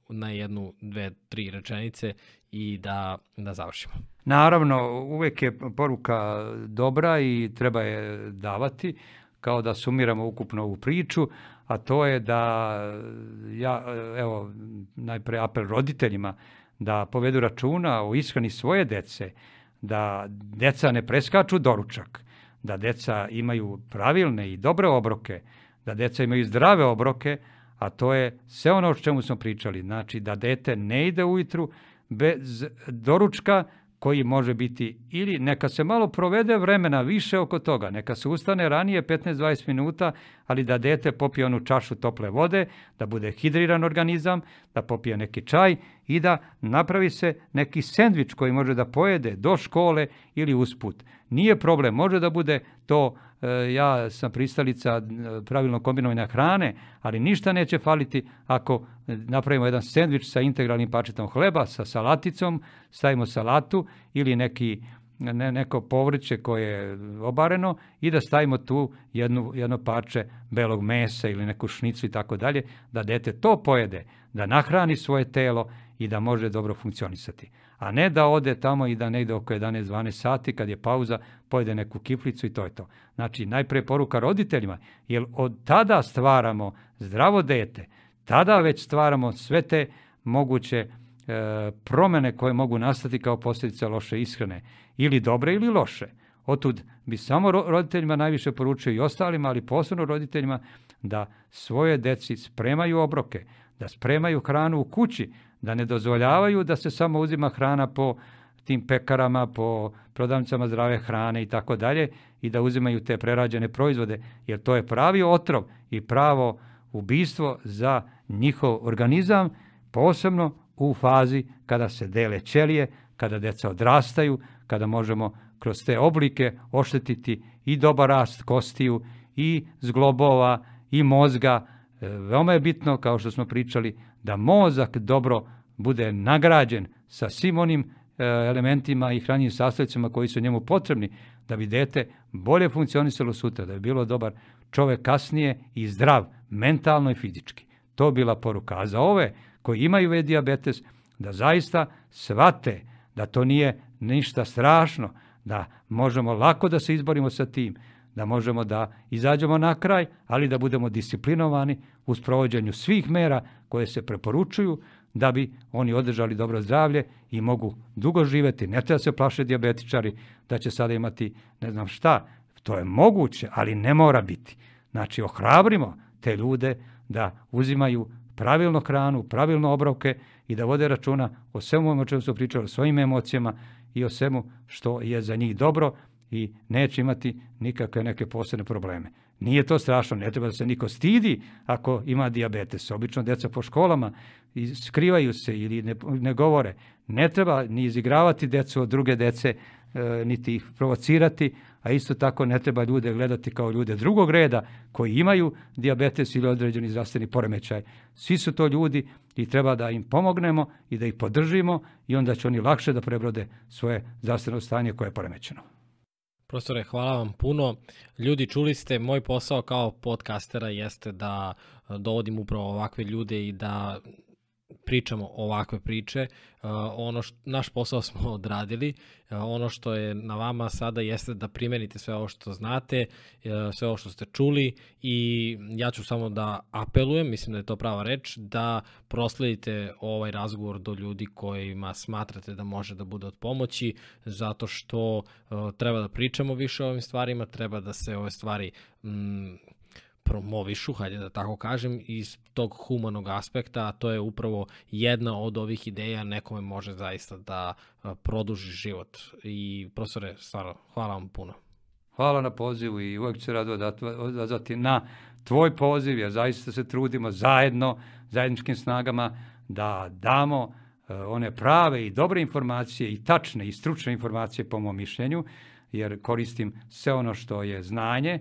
na jednu, dve, tri rečenice i da, da završimo. Naravno, uvek je poruka dobra i treba je davati, kao da sumiramo ukupno ovu priču, a to je da, ja, evo, najpre apel roditeljima, da povedu računa o ishrani svoje dece, da deca ne preskaču doručak, da deca imaju pravilne i dobre obroke, da deca imaju zdrave obroke, a to je sve ono o čemu smo pričali. Znači, da dete ne ide ujutru bez doručka, koji može biti, ili neka se malo provede vremena više oko toga, neka se ustane ranije petnaest do dvadeset minuta, ali da dete popije onu čašu tople vode, da bude hidriran organizam, da popije neki čaj i da napravi se neki sendvič koji može da pojede do škole ili usput. Nije problem, može da bude to, ja sam pristalica pravilno kombinovanja hrane, ali ništa neće faliti ako napravimo jedan sendvič sa integralnim parčetom hleba, sa salaticom, stavimo salatu ili neki, ne, neko povrće koje je obareno i da stavimo tu jednu, jedno parče belog mesa ili neku šnicu i tako dalje, da dete to pojede, da nahrani svoje telo i da može dobro funkcionisati. A ne da ode tamo i da negde oko jedanaest do dvanaest sati, kad je pauza, pojede neku kiflicu i to je to. Znači, najpre poruka roditeljima, jer od tada stvaramo zdravo dete, tada već stvaramo sve te moguće e, promene koje mogu nastati kao posljedica loše ishrane, ili dobre ili loše. Otud bi samo roditeljima najviše poručio i ostalima, ali posebno roditeljima, da svoje deci spremaju obroke, da spremaju hranu u kući, da ne dozvoljavaju da se samo uzima hrana po tim pekarama, po prodavnicama zdrave hrane i tako dalje, i da uzimaju te prerađene proizvode, jer to je pravi otrov i pravo ubistvo za njihov organizam, posebno u fazi kada se dele ćelije, kada deca odrastaju, kada možemo kroz te oblike oštetiti i dobar rast kostiju, i zglobova, i mozga. Veoma je bitno, kao što smo pričali, da mozak dobro bude nagrađen sa svim onim elementima i hranjivim sastojcima koji su njemu potrebni, da bi dete bolje funkcionisalo sutra, da bi bilo dobar čovek kasnije i zdrav, mentalno i fizički. To bila poruka. A za ove koji imaju dijabetes, da zaista shvate da to nije ništa strašno, da možemo lako da se izborimo sa tim, da možemo da izađemo na kraj, ali da budemo disciplinovani u sprovođenju svih mera koje se preporučuju, da bi oni održali dobro zdravlje i mogu dugo živeti. Ne treba se plaše dijabetičari da će sada imati ne znam šta. To je moguće, ali ne mora biti. Znači, ohrabrimo te ljude da uzimaju pravilno hranu, pravilno obroke i da vode računa o svemu o čemu su pričali, o svojim emocijama i o svemu što je za njih dobro, i neće imati nikakve neke posebne probleme. Nije to strašno, ne treba da se niko stidi ako ima dijabetes. Obično deca po školama skrivaju se ili ne, ne govore. Ne treba ni izigravati decu od druge dece, e, niti ih provocirati, a isto tako ne treba ljude gledati kao ljude drugog reda koji imaju dijabetes ili određeni zdravstveni poremećaj. Svi su to ljudi i treba da im pomognemo i da ih podržimo, i onda će oni lakše da prebrode svoje zdravstveno stanje koje je poremećeno. Profesore, hvala vam puno. Ljudi, čuli ste, moj posao kao podcastera jeste da dovodim upravo ovakve ljude i da pričamo ovakve priče. Uh, ono što, naš posao smo odradili. Uh, ono što je na vama sada jeste da primenite sve ovo što znate, uh, sve ovo što ste čuli i ja ću samo da apelujem, mislim da je to prava reč, da prosledite ovaj razgovor do ljudi kojima smatrate da može da bude od pomoći, zato što uh, treba da pričamo više o ovim stvarima, treba da se ove stvari mm, promovišu, hajde da tako kažem, iz tog humanog aspekta, a to je upravo jedna od ovih ideja, nekome može zaista da produži život. I profesore, stvarno, hvala vam puno. Hvala na pozivu i uvek ću se rado odazvati na tvoj poziv, jer zaista se trudimo zajedno, zajedničkim snagama, da damo one prave i dobre informacije i tačne i stručne informacije po mom mišljenju, jer koristim sve ono što je znanje.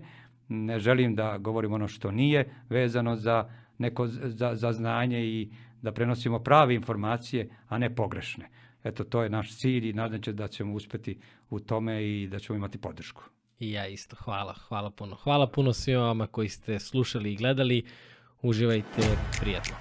Ne želim da govorim ono što nije vezano za neko za, za znanje i da prenosimo prave informacije, a ne pogrešne. Eto, to je naš cilj i nadam se da ćemo uspeti u tome i da ćemo imati podršku. I ja isto. Hvala. Hvala puno. Hvala puno svima vama koji ste slušali i gledali. Uživajte, prijatno.